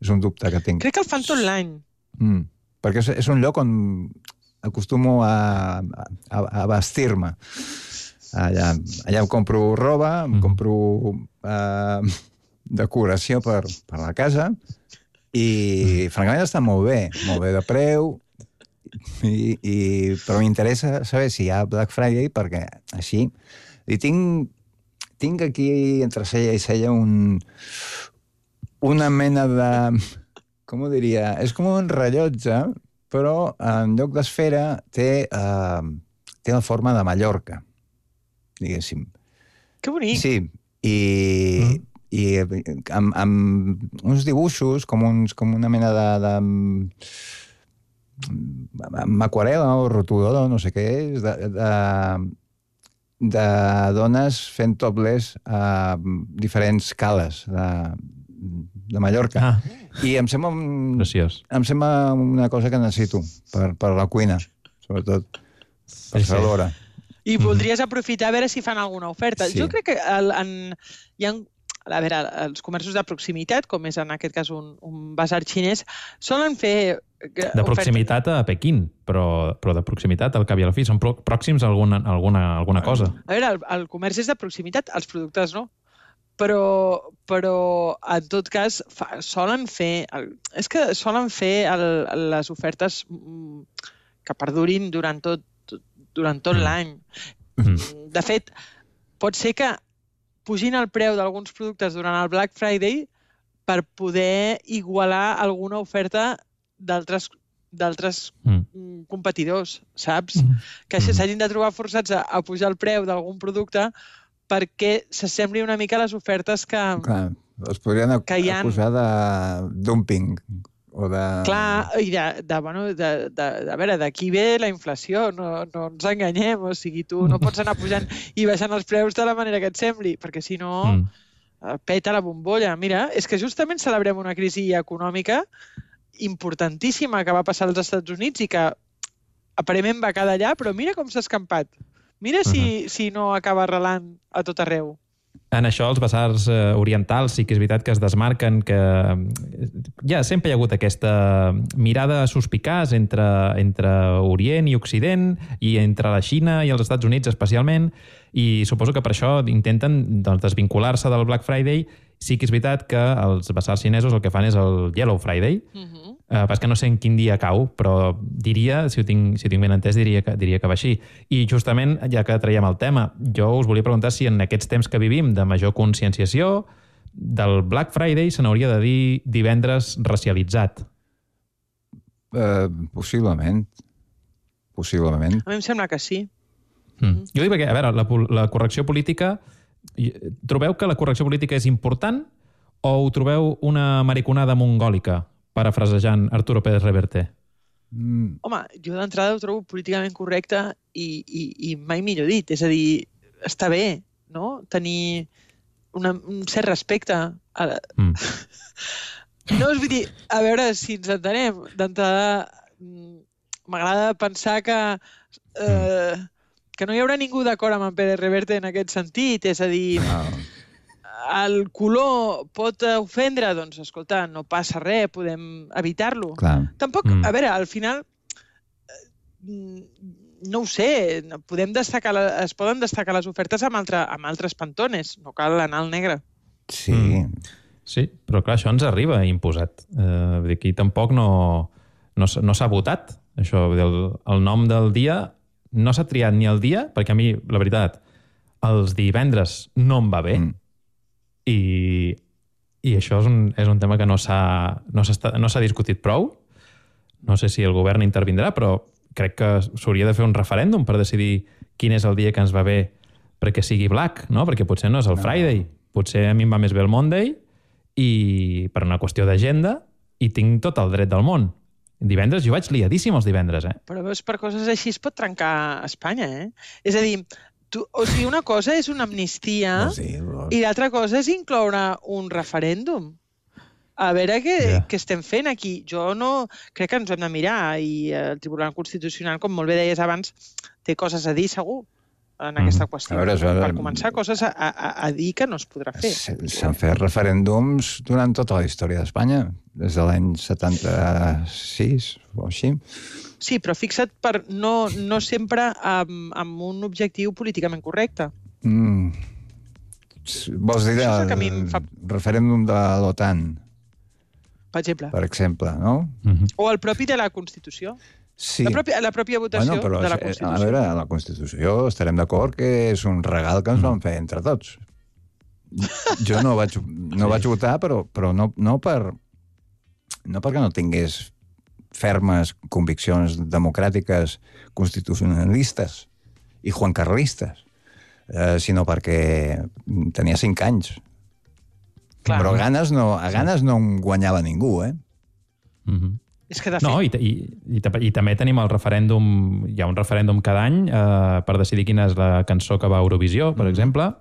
És un dubte que tinc. Crec que el fan tot l'any. Mm. Perquè és, és un lloc on acostumo a, a, a vestir-me. Allà, allà em compro roba, em compro uh, decoració per, per la casa i, francament, està molt bé. Molt bé de preu, i, i, però m'interessa saber si hi ha Black Friday perquè així li tinc, tinc aquí entre cella i cella un, una mena de... Com ho diria? És com un rellotge, però en lloc d'esfera té, uh, té la forma de Mallorca, diguéssim. Que bonic. Sí, i, mm. i amb, amb uns dibuixos, com, uns, com una mena de... de amb aquarel·la o rotulador, no sé què és, de, de, de dones fent topless a diferents cales de, de Mallorca. Ah. I em sembla, un, em sembla una cosa que necessito per, per la cuina, sobretot per fer l'hora. I voldries aprofitar a veure si fan alguna oferta. Sí. Jo crec que el, en, hi ha, a veure, els comerços de proximitat, com és en aquest cas un, un basar xinès, solen fer... De proximitat a Pequín, però, però de proximitat al cap i a la fi. Són pròxims a alguna, alguna, alguna cosa. A veure, el, el comerç és de proximitat, els productes no. Però, però en tot cas, fa, solen fer... El, és que solen fer el, les ofertes que perdurin durant tot, durant tot mm. l'any. Mm. De fet, pot ser que pugin el preu d'alguns productes durant el Black Friday per poder igualar alguna oferta d'altres d'altres mm. competidors, saps? Mm. Que mm. s'hagin de trobar forçats a, a pujar el preu d'algun producte perquè s'assembli una mica a les ofertes que... Clar, els podrien acusar de dumping o de... Clar, i de, de, bueno, de, de, a veure, d'aquí ve la inflació, no, no ens enganyem, o sigui, tu no pots anar pujant i baixant els preus de la manera que et sembli, perquè si no mm. peta la bombolla. Mira, és que justament celebrem una crisi econòmica importantíssima que va passar als Estats Units i que aparentment va quedar allà, però mira com s'ha escampat. Mira si, uh-huh. si no acaba arrelant a tot arreu. En això, els basars eh, orientals sí que és veritat que es desmarquen, que ja sempre hi ha hagut aquesta mirada suspicaç entre, entre Orient i Occident i entre la Xina i els Estats Units especialment, i suposo que per això intenten doncs, desvincular-se del Black Friday. Sí que és veritat que els basars xinesos el que fan és el Yellow Friday, uh-huh. Uh, és que no sé en quin dia cau, però diria, si ho tinc, si ho tinc ben entès, diria que, diria que va així. I justament, ja que traiem el tema, jo us volia preguntar si en aquests temps que vivim de major conscienciació, del Black Friday se n'hauria de dir divendres racialitzat. Uh, possiblement. Possiblement. A mi em sembla que sí. Mm. Jo dic perquè, a veure, la, la correcció política... Trobeu que la correcció política és important o ho trobeu una mariconada mongòlica? Parafrasejant Arturo Pérez Reverte. Mm. Home, jo d'entrada ho trobo políticament correcte i, i, i mai millor dit. És a dir, està bé, no?, tenir una, un cert respecte. A... Mm. No, és vull dir, a veure si ens entenem. D'entrada, m'agrada pensar que, eh, que no hi haurà ningú d'acord amb en Pérez Reverte en aquest sentit. És a dir... No. El color pot ofendre? Doncs, escolta, no passa res, podem evitar-lo. Tampoc, mm. a veure, al final, no ho sé, podem destacar, es poden destacar les ofertes amb, altre, amb altres pantones, no cal anar al negre. Sí. Mm. Sí, però clar, això ens arriba imposat. Eh, aquí tampoc no, no, no s'ha votat, això. El, el nom del dia no s'ha triat ni el dia, perquè a mi, la veritat, els divendres no em va bé, mm. I, i això és un, és un tema que no s'ha no no s'ha discutit prou. No sé si el govern intervindrà, però crec que s'hauria de fer un referèndum per decidir quin és el dia que ens va bé perquè sigui black, no? Perquè potser no és el Friday. potser a mi em va més bé el Monday, i per una qüestió d'agenda, i tinc tot el dret del món. Divendres, jo vaig liadíssim els divendres, eh? Però veus, per coses així es pot trencar Espanya, eh? És a dir, tu, o sigui, una cosa és una amnistia No, sí, però... i l'altra cosa és incloure un referèndum. A veure què, Ja. què estem fent aquí. Jo no... Crec que ens ho hem de mirar i el Tribunal Constitucional, com molt bé deies abans, té coses a dir, segur, en aquesta qüestió. A veure, això- Per començar, coses a, a, a dir que no es podrà fer. S- S'han fet referèndums durant tota la història d'Espanya, des de l'any setanta-sis o així. Sí, però fixa't, per no, no sempre amb, amb un objectiu políticament correcte. Mm. S- Vols dir Això és el que a mi el em fa- referèndum de l'OTAN, Per exemple. per exemple, no? Mhm. O el propi de la Constitució. Sí. La pròpia, la pròpia votació Bueno, però, de la eh, Constitució. a veure, la Constitució estarem d'acord que és un regal que ens vam fer entre tots. Jo no vaig, no vaig votar, però, però no, no, per, no perquè no tingués fermes conviccions democràtiques constitucionalistes i juancarlistes, eh, sinó perquè tenia cinc anys. Clar. Però a ganes no, a ganes no em guanyava ningú, eh? Mhm. És que, de fet, No, i, i, i, i també tenim el referèndum, hi ha un referèndum cada any eh, per decidir quina és la cançó que va a Eurovisió, per exemple.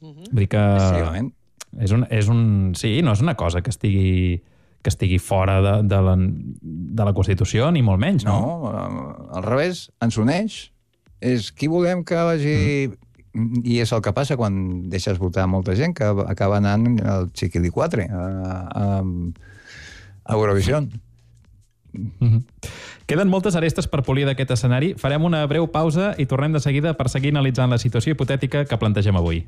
Mhm. Vull dir que Efectivament. és un, és un... Sí, no és una cosa que estigui, que estigui fora de, de, la, de la Constitució, ni molt menys, no? No, eh, al revés, ens uneix. És qui volem que vagi... Mm. I és el que passa quan deixes votar molta gent, que acaba anant al Chiquilicuatre, a, a, a Eurovisió. Mhm. Queden moltes arestes per polir d'aquest escenari. Farem una breu pausa i tornem de seguida per seguir analitzant la situació hipotètica que plantegem avui.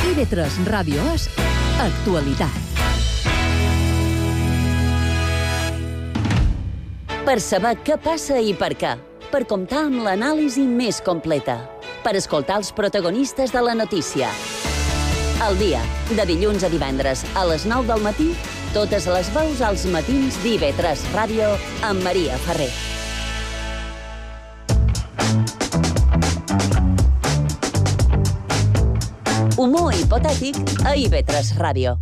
I V tres Ràdio és actualitat. Per saber què passa i per què. Per comptar amb l'anàlisi més completa. Per escoltar els protagonistes de la notícia. Al dia, de dilluns a divendres, a les nou del matí, totes les veus als matins d'I V tres Ràdio amb Maria Ferrer. Humor hipotètic a I V tres Ràdio.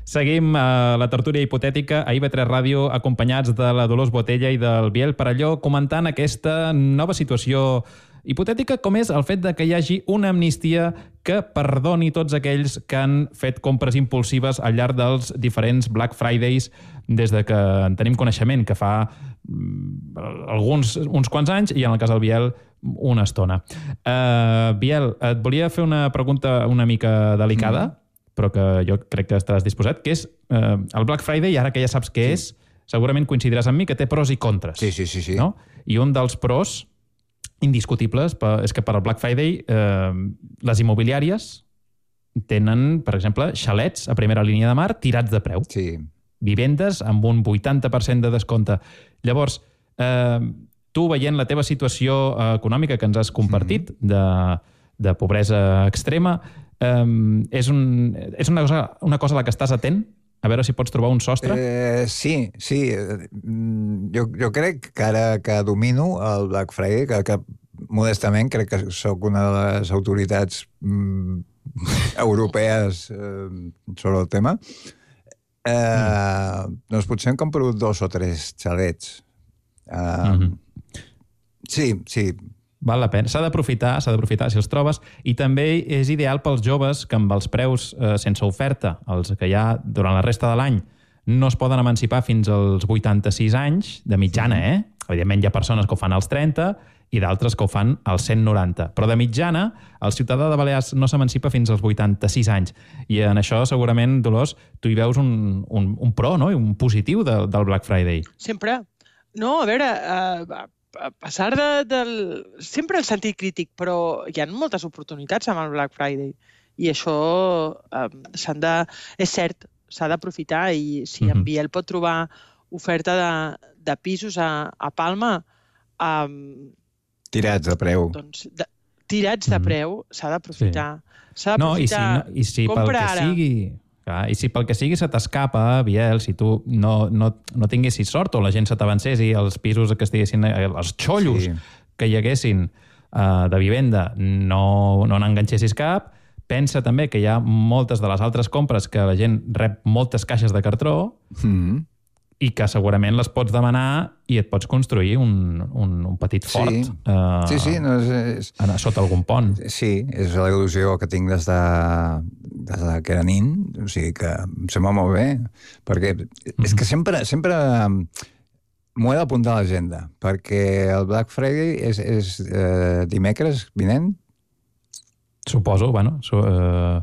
Seguim a la tertúlia hipotètica a I V tres Ràdio, acompanyats de la Dolors Botella i del Biel Parelló, comentant aquesta nova situació hipotètica, com és el fet de que hi hagi una amnistia que perdoni tots aquells que han fet compres impulsives al llarg dels diferents Black Fridays des de que en tenim coneixement, que fa mm, alguns, uns quants anys, i en el cas del Biel, una estona. Uh, Biel, et volia fer una pregunta una mica delicada, mm. però que jo crec que estaràs disposat, que és uh, el Black Friday, ara que ja saps què sí. és, segurament coincidiràs amb mi que té pros i contres. Sí, sí, sí. sí. No? I un dels pros indiscutibles és que per al Black Friday eh, les immobiliàries tenen, per exemple, xalets a primera línia de mar tirats de preu. Sí. Vivendes amb un vuitanta per cent de descompte. Llavors, eh, tu veient la teva situació eh, econòmica que ens has compartit, mm-hmm. de, de pobresa extrema, eh, és, un, és una, cosa, una cosa a la que estàs atent? A veure si pots trobar un sostre? Eh, sí, sí. Jo, jo crec que ara que domino el Black Friday, que, que modestament crec que sóc una de les autoritats mm, europees eh, sobre el tema, eh, mm. doncs potser hem comprat dos o tres xalets. Eh, mm-hmm. Sí, sí. Val la pena. S'ha d'aprofitar, s'ha d'aprofitar si els trobes, i també és ideal pels joves que amb els preus eh, sense oferta, els que ja durant la resta de l'any no es poden emancipar fins als vuitanta-sis anys, de mitjana, eh? Evidentment hi ha persones que ho fan als trenta i d'altres que ho fan als cent noranta. Però de mitjana, el ciutadà de Balears no s'emancipa fins als vuitanta-sis anys. I en això, segurament, Dolors, tu hi veus un, un, un pro, no? Un positiu de, del Black Friday. Sempre. No, a veure, uh, a pesar de, del... Sempre el sentit crític, però hi ha moltes oportunitats amb el Black Friday. I això uh, s'han de... És cert, s'ha d'aprofitar, i si mm-hmm. en Biel pot trobar oferta de, de pisos a, a Palma... Um, tirats de preu. Doncs, de, tirats de preu, mm-hmm. s'ha d'aprofitar. Sí. S'ha d'aprofitar. No, i si, no, i si pel que ara. sigui... Clar, i si pel que sigui se t'escapa, Biel, si tu no, no, no tinguessis sort o la gent se t'avancés i els pisos que estiguessin, els xollos, sí. que hi haguessin uh, de vivenda no, no n'enganxessis cap. Pensa també que hi ha moltes de les altres compres que la gent rep moltes caixes de cartró Mm. i que segurament les pots demanar i et pots construir un, un, un petit fort Sí, uh, sí, sí no, és, és... sota algun pont. Sí, és la il·lusió que tinc des de, des de que era nin, o sigui que em sembla molt bé, perquè mm-hmm. és que sempre, sempre m'ho he d'apuntar a l'agenda, perquè el Black Friday és, és eh, dimecres vinent. Suposo, bueno... Su, uh,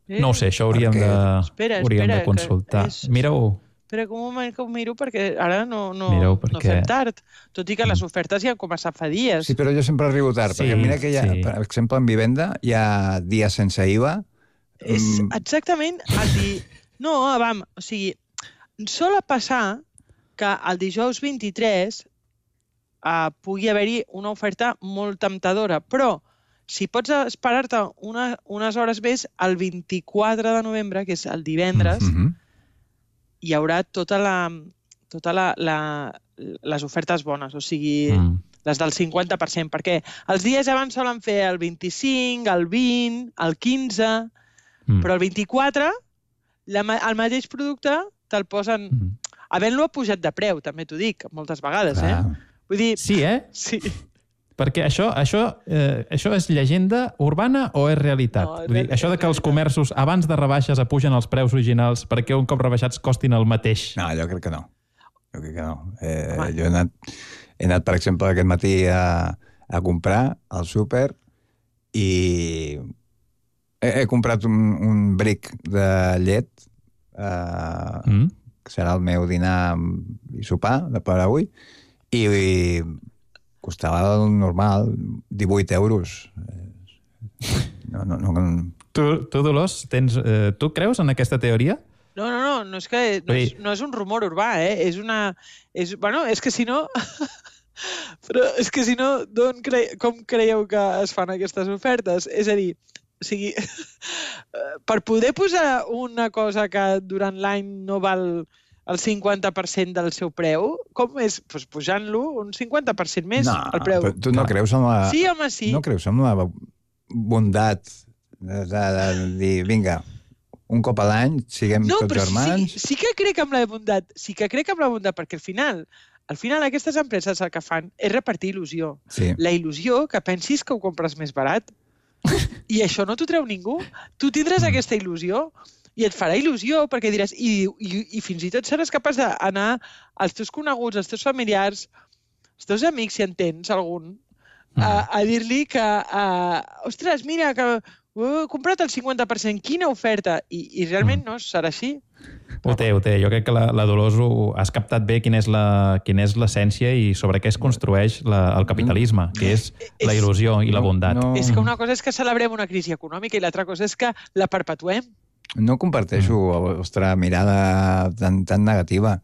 Eh? no ho sé, això hauríem, Perquè... de, Espera, hauríem espera, de consultar. que és- Mira-ho. Espera que un moment que ho miro, perquè ara no, no, Mireu, no perquè- fem tard. Tot i que les ofertes ja han començat fa dies. Sí, però jo sempre arribo tard, Sí, perquè mira que hi ha, sí. per exemple, en vivenda hi ha dies sense I V A. És Mm, exactament el di... No, vam, o sigui, sol passar que el dijous vint-i-tres uh, pugui haver-hi una oferta molt temptadora, però si pots esperar-te una, unes hores més, el vint-i-quatre de novembre, que és el divendres, mhm. hi haurà tota la, tota la, la, les ofertes bones, o sigui, Mm. les del cinquanta per cent, perquè els dies abans solen fer el vint-i-cinc, el vint, el quinze, Mm. però el vint-i-quatre, la, ma- el mateix producte te'l posen... Mm. Havent-lo pujat de preu, també t'ho dic, moltes vegades, Clar. eh? Vull dir... Sí, eh? Sí. Perquè això, això, eh, això és llegenda urbana o és realitat? No, és Vull dir, real- això de és que els realitat. comerços abans de rebaixes apugen els preus originals perquè un cop rebaixats costin el mateix. No, jo crec que no. Jo crec que no. Eh, Home. jo he anat, he anat, per exemple, aquest matí a, a comprar al súper i he, he comprat un, un bric de llet, eh, Mm? que serà el meu dinar i sopar de per avui, i, i costava el normal, divuit euros. No, no, no, Tu, tu Dolors, tens, eh, tu creus en aquesta teoria? No, no, no, no és, que, no, és, no és un rumor urbà, eh? És una... És, bueno, és que si no... Però és que si no, d'on cre... com creieu que es fan aquestes ofertes? És a dir, o sigui, per poder posar una cosa que durant l'any no val el cinquanta per cent del seu preu, com és? Pues pujant-lo un cinquanta per cent més no, el preu. però tu no Clar. creus en la... Sí, home, sí. No creus en la bondat de, de, de dir, vinga, un cop a l'any siguem No, tots però germans? sí, sí que crec en la bondat, sí que crec en la bondat, perquè al final, al final aquestes empreses el que fan és repartir il·lusió. Sí. La il·lusió que pensis que ho compres més barat. I això no t'ho treu ningú. Tu tindràs aquesta il·lusió i et farà il·lusió perquè diràs... I, i, i fins i tot seràs capaç d'anar als teus coneguts, als teus familiars, als teus amics, si en tens algun, a, a dir-li que... A, ostres, mira, que ho he comprat el cinquanta per cent, quina oferta! I, i realment no serà així. Ho té, ho té. Jo crec que la, la Dolors ho, has captat bé quina és la- quina és l'essència i sobre què es construeix la, el capitalisme, que és la il·lusió i la bondat. No, És que una cosa és que celebrem una crisi econòmica i l'altra cosa és que la perpetuem. no comparteixo la vostra mirada tan, tan negativa.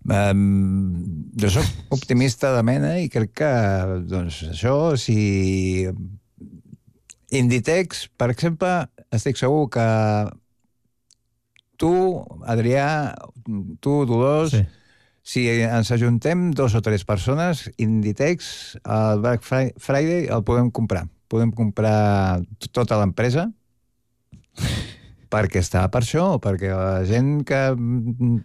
Um, jo sóc optimista de mena i crec que, doncs, això, si... Inditex, per exemple, estic segur que tu, Adrià, tu, Dolors, Sí. si ens ajuntem dos o tres persones, Inditex, el Black Fri- Friday el podem comprar. Podem comprar t- tota l'empresa perquè està per això, perquè la gent que mm,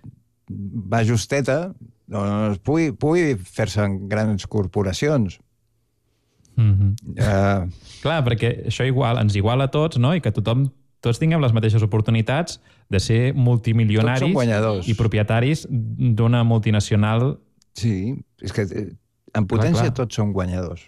va justeta doncs pugui, pugui fer-se en grans corporacions. Mm-hmm. Uh, Clar, perquè això igual, ens iguala a tots, no? I que tothom, tots tinguem les mateixes oportunitats de ser Tots som multimilionaris guanyadors. i propietaris d'una multinacional. sí, és que eh, en potència clar. tots som guanyadors.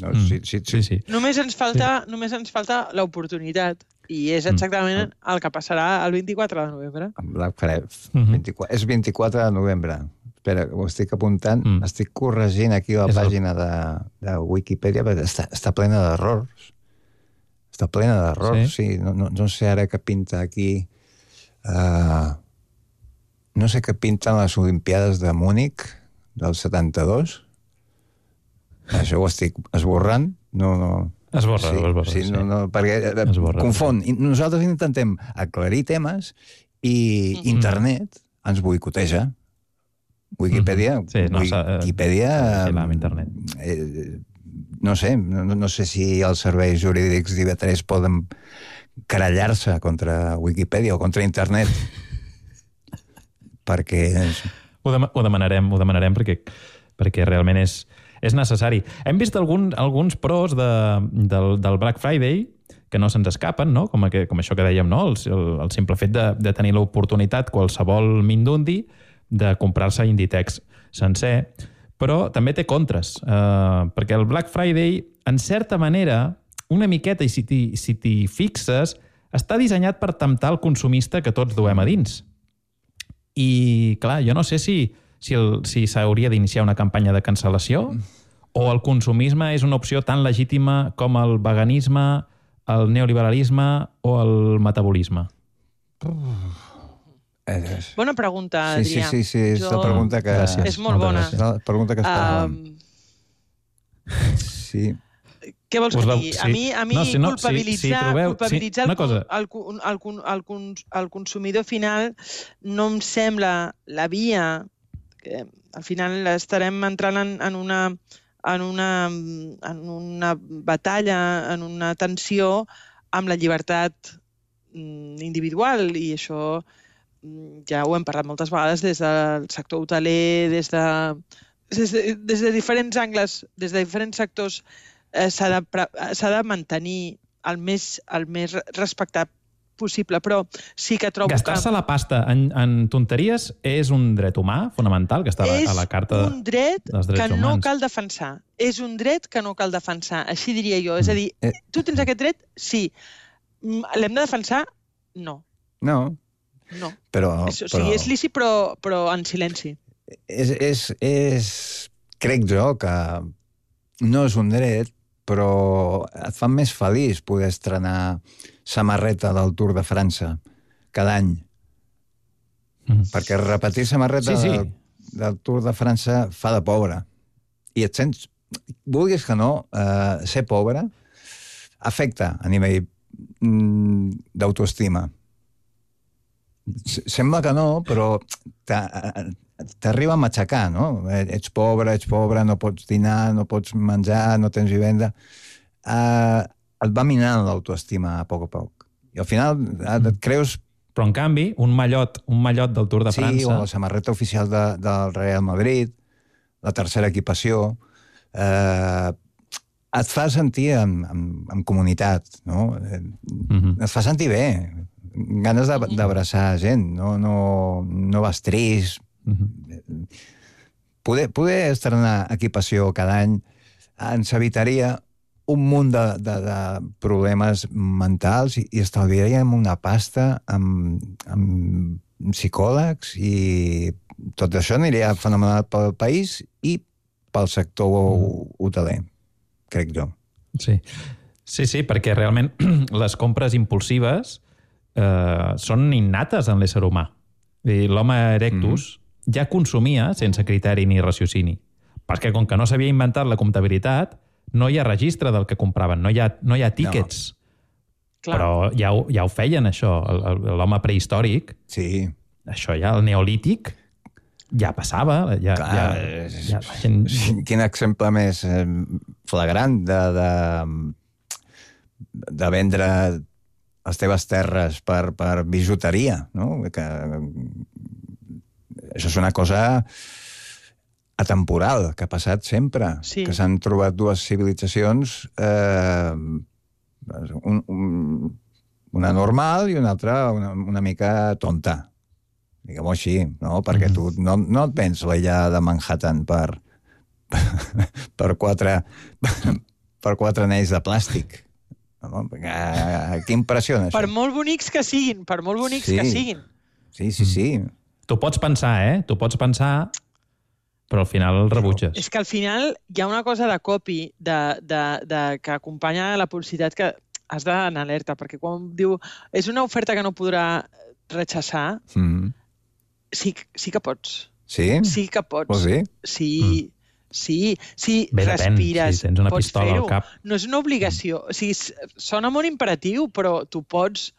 No, Mm, sí, sí, sí, sí. Només ens falta, sí. només ens falta l'oportunitat. I és exactament Mm. el que passarà el vint-i-quatre de novembre. Amb Black Friday. Mhm. vint-i-quatre, és vint-i-quatre de novembre. Espera, ho estic apuntant. Mm. Mm. Estic corregint aquí la És el- pàgina de, de Wikipedia, perquè està, està plena d'errors. Està plena d'errors, sí. sí. No, no, no sé ara què pinta aquí. Uh, no sé què pinten les Olimpiades de Múnich del setanta-dos. Això ho estic esborrant. No, no. Esborra, sí, esborra, sí, sí. no, no, perquè eh, Esborra. confon. I nosaltres intentem aclarir temes i Mhm. internet ens boicoteja. Wikipedia... Mm-hmm. Sí, no, Wikipedia... Sí, amb internet. Eh, no sé, no, no sé si els serveis jurídics d'I V tres poden querellar-se contra Wikipedia o contra internet. Perquè... Ho, dem ho demanarem, ho demanarem perquè, perquè realment és, és necessari. Hem vist algun, alguns pros de, del, del Black Friday que no se'ns escapen, no? Com, que, com això que dèiem, no? El, el, el simple fet de, de tenir l'oportunitat, qualsevol mindundi, de comprar-se Inditex sencer, però també té contres, eh, perquè el Black Friday, en certa manera, una miqueta, i si t'hi si t'hi fixes, està dissenyat per temptar el consumista que tots duem a dins. I, clar, jo no sé si si, el, si s'hauria d'iniciar una campanya de cancel·lació o el consumisme és una opció tan legítima com el veganisme, el neoliberalisme o el metabolisme. És... Bona pregunta, sí, Adrià. Sí, sí, sí, és jo... la pregunta que... Gràcies. És molt bona. És la pregunta que esperàvem. Um... Sí. Què vols que Us la- digui? sí. A mi, a mi No, si no, culpabilitzar, si- si trobeu- culpabilitzar sí, una el, cosa. el, el, el, el, cons- el consumidor final no em sembla la via. Que al final estarem entrant en, en, una, en, una, en una batalla, en una tensió amb la llibertat individual, i això ja ho hem parlat moltes vegades des del sector hoteler, des de, des de, des de diferents angles, des de diferents sectors, eh, s'ha de, s'ha de mantenir el més, el més respectat possible, però sí que trobo Gastar-se que... la pasta en, en tonteries és un dret humà fonamental que està a la, a la carta és un dret dels drets que no humans. cal defensar. És un dret que no cal defensar, així diria jo. És a dir, Eh. tu tens aquest dret? Sí. Mm, L'hem de defensar? No. No, No. però... És, o sigui, però... és lícit, però, però en silenci. És, és, és... Crec jo que no és un dret, però et fa més feliç poder estrenar samarreta del Tour de França cada any. Mm. Perquè repetir samarreta Sí, sí. Del, del Tour de França fa de pobre. I et sents... Vulguis que no, eh, ser pobre afecta a nivell mm, d'autoestima. Sembla que no, però t'arriba a matxacar, no? Ets pobre, ets pobre, no pots dinar, no pots menjar, no tens vivenda. Uh, et va minant l'autoestima a poc a poc. I al final et creus... Però, en canvi, un mallot, un mallot del Tour de Sí, França... o la samarreta oficial de, del Real Madrid, la tercera equipació... Eh, et fa sentir en, en, en comunitat, no? Mm-hmm. Et fa sentir bé, ganes d'abraçar gent, no, no, no vas trist. Mm-hmm. Poder, poder estrenar equipació cada any ens evitaria un munt de, de, de problemes mentals i, i estalviaríem una pasta amb, amb psicòlegs, i tot això aniria fenomenal pel país i pel sector mm. hoteler, crec jo. Sí. sí, sí, perquè realment les compres impulsives eh, són innates en l'ésser humà. I l'home erectus mm. ja consumia sense criteri ni raciocini. Perquè com que no s'havia inventat la comptabilitat, no hi ha registre del que compraven, no hi ha, no hi ha tíquets. No. Però ja ho, ja ho feien, això, l'home prehistòric. Sí. Això ja, el neolític, ja passava. Ja, Clar, ja, ja, la gent... Quin exemple més flagrant de, de, de vendre les teves terres per, per bijuteria, no? Que, això és una cosa atemporal, que ha passat sempre. Sí. Que s'han trobat dues civilitzacions, eh, un, un, una normal i una altra una, una mica tonta. Diguem-ho així, no? Perquè tu no, no et vens l'illa de Manhattan per, per, quatre, per quatre anells de plàstic. No? Què impressiona, això? Per molt bonics que siguin, per molt bonics Sí. que siguin. Sí, sí, sí. Tu pots pensar, eh? Tu pots pensar, però al final el rebutges. És que al final hi ha una cosa de copy de, de, de, que acompanya la publicitat que has d'anar alerta, perquè quan diu és una oferta que no podrà rechaçar, Mm. sí, sí que pots. Sí? Sí que pots. Vols dir? Sí, mm. sí, sí, Bé, depèn, respires, si tens una pots pistola al fer-ho. cap. No és una obligació. O sigui, sona molt imperatiu, però tu pots...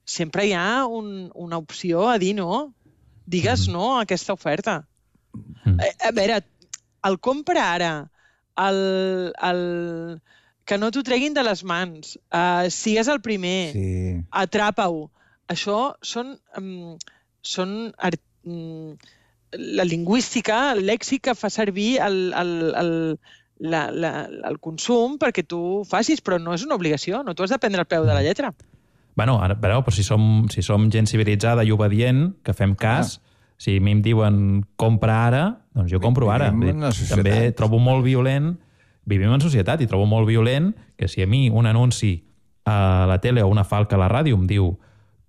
Sempre hi ha un, una opció a dir no. Digues Mm. no a aquesta oferta. Mm. A, a veure, el compra ara, el, el, que no t'ho treguin de les mans, uh, sigues el primer, Sí. atrapa-ho. Això són... Um, són art, um, la lingüística, el lèxic que fa servir el, el, el, la, la, el consum perquè tu ho facis, però no és una obligació, no t'ho has de prendre al peu de la lletra. Bueno, ara, però, però si, som, si som gent civilitzada i obedient, que fem cas, ah. si a mi em diuen compra ara, doncs jo compro ara. També trobo molt violent, vivim en societat i trobo molt violent que si a mi un anunci a la tele o una falca a la ràdio em diu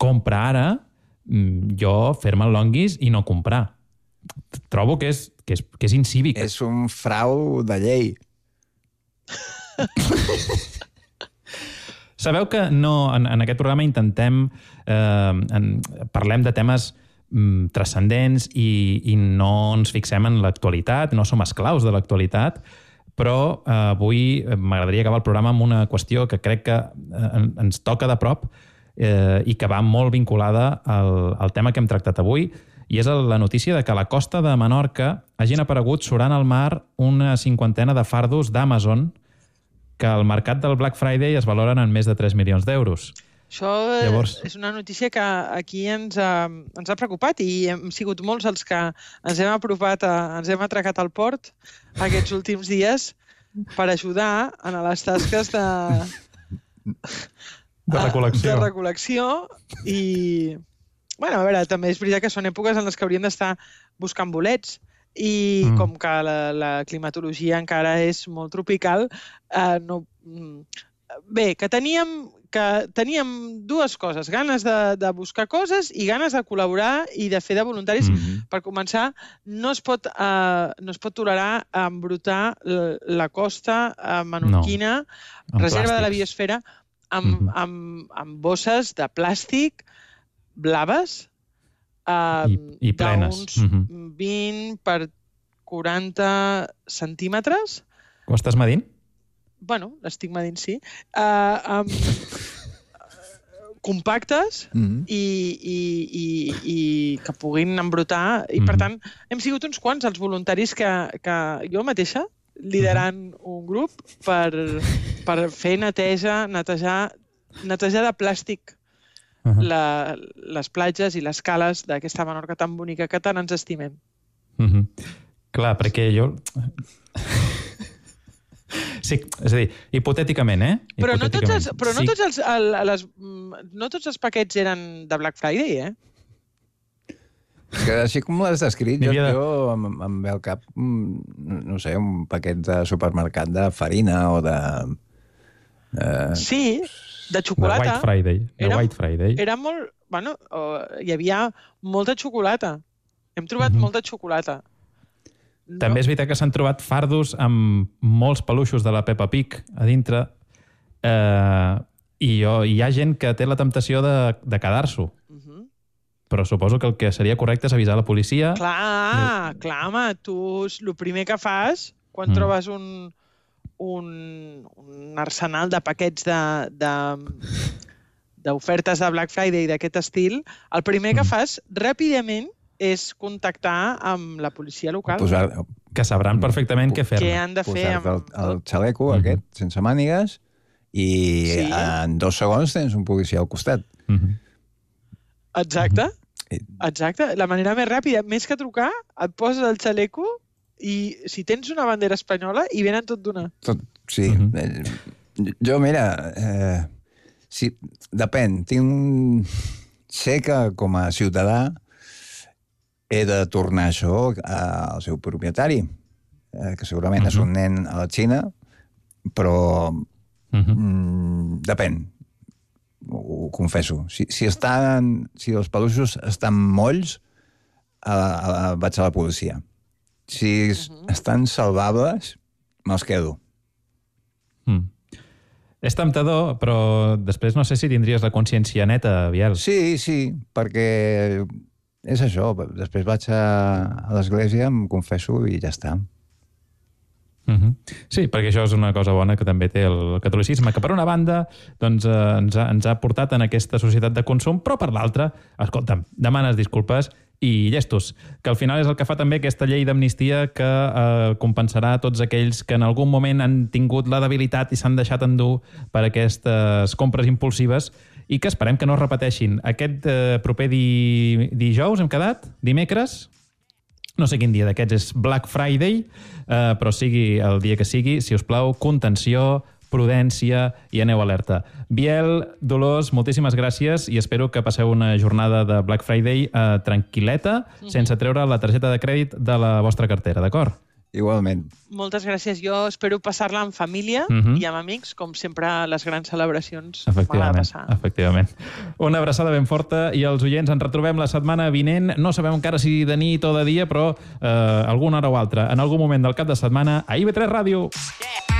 compra ara, jo fer-me el longuis i no comprar. Trobo que és, que és, que és incívic. És un frau de llei. Sabeu que no, en, en aquest programa intentem... Eh, en, parlem de temes mm, transcendents i, i no ens fixem en l'actualitat, no som esclaus de l'actualitat, però eh, avui m'agradaria acabar el programa amb una qüestió que crec que eh, ens toca de prop eh, i que va molt vinculada al, al tema que hem tractat avui, i és la notícia de que a la costa de Menorca hagin aparegut surant al mar una cinquantena de fardos d'Amazon que al mercat del Black Friday es valoren en més de tres milions d'euros. Això Llavors... és una notícia que aquí ens ha, ens ha preocupat i hem sigut molts els que ens hem apropat, a, ens hem atracat al port aquests últims dies per ajudar en les tasques de... de recol·lecció. De recol·lecció i... Bueno, a veure, també és veritat que són èpoques en les que hauríem d'estar buscant bolets i mm. com que la, la climatologia encara és molt tropical, eh, no... Bé, que teníem, que teníem dues coses, ganes de, de buscar coses i ganes de col·laborar i de fer de voluntaris. Mm-hmm. Per començar, no es pot, eh, no es pot tolerar embrutar la costa eh, menorquina, no. reserva plàstics. De la biosfera, amb, mm-hmm. amb, amb bosses de plàstic blaves, eh, I, i plenes. D'uns mm-hmm. vint per quaranta centímetres. Ho estàs medint? Bueno, l'estic medint, sí. Uh, um, compactes mm-hmm. i, i, i, i que puguin embrutar. I, mm-hmm. per tant, hem sigut uns quants els voluntaris que, que jo mateixa, liderant mm-hmm. un grup per, per fer neteja, netejar, netejar de plàstic uh-huh. la, les platges i les cales d'aquesta Menorca tan bonica que tant ens estimem. Mm-hmm. Clar, perquè jo... Sí, és a dir, hipotèticament, eh? Però no tots els, però no sí. tots els, el, les, no tots els paquets eren de Black Friday, eh? Que així com l'has descrit, jo, de... jo em, em ve al cap, no sé, un paquet de supermercat de farina o de... Eh... Sí, de xocolata. De White Friday. De era, White Friday. Era molt... Bueno, hi havia molta xocolata. Hem trobat mm-hmm. molta xocolata. No. També és veritat que s'han trobat fardos amb molts peluixos de la Peppa Pig a dintre eh, i, jo, i hi ha gent que té la temptació de, de quedar-s'ho. Uh-huh. Però suposo que el que seria correcte és avisar la policia. Clar, I... clar, home, tu el primer que fas quan mm. trobes un, un, un arsenal de paquets de, de, d'ofertes de Black Friday d'aquest estil, el primer mm. que fas ràpidament és contactar amb la policia local. Posar, que sabran perfectament què fer-ne. Què han de fer amb... el, el xaleco mm-hmm. aquest, sense mànigues, i sí. en dos segons tens un policia al costat. Mm-hmm. Exacte. Mm-hmm. Exacte. La manera més ràpida, més que trucar, et poses el xaleco i si tens una bandera espanyola, hi venen tot d'una. Tot, sí. Mm-hmm. Jo, mira, eh, si, depèn. Tinc... Sé que com a ciutadà he de tornar això al seu propietari, eh, que segurament uh-huh. és un nen a la Xina, però uh-huh. mm, depèn, ho, ho confesso. Si, si, estan, si els peluixos estan molls, a, a, vaig a la policia. Si uh-huh. estan salvables, me'ls quedo. Mm. És temptador, però després no sé si tindries la consciència neta, Biel. Sí, sí, perquè... És això, després vaig a, a l'església, em confesso i ja està. Uh-huh. Sí, perquè això és una cosa bona que també té el catolicisme, que per una banda doncs, eh, ens, ha, ens ha portat en aquesta societat de consum, però per l'altra, escolta'm, demanes disculpes i llestos, que al final és el que fa també aquesta llei d'amnistia que eh, compensarà tots aquells que en algun moment han tingut la debilitat i s'han deixat endur per aquestes compres impulsives i que esperem que no es repeteixin. Aquest eh, proper di... dijous hem quedat? Dimecres? No sé quin dia d'aquests és Black Friday, eh, però sigui el dia que sigui, si us plau, contenció, prudència i aneu alerta. Biel, Dolors, moltíssimes gràcies i espero que passeu una jornada de Black Friday eh, tranquil·leta, mm-hmm. sense treure la targeta de crèdit de la vostra cartera, d'acord? Igualment. Moltes gràcies. Jo espero passar-la en família Mhm. i amb amics, com sempre les grans celebracions m'agrada Efectivament, passar. efectivament. Una abraçada ben forta i els oients ens retrobem la setmana vinent. No sabem encara si de nit o de dia, però eh, alguna hora o altra, en algun moment del cap de setmana, a I V tres Ràdio. Yeah!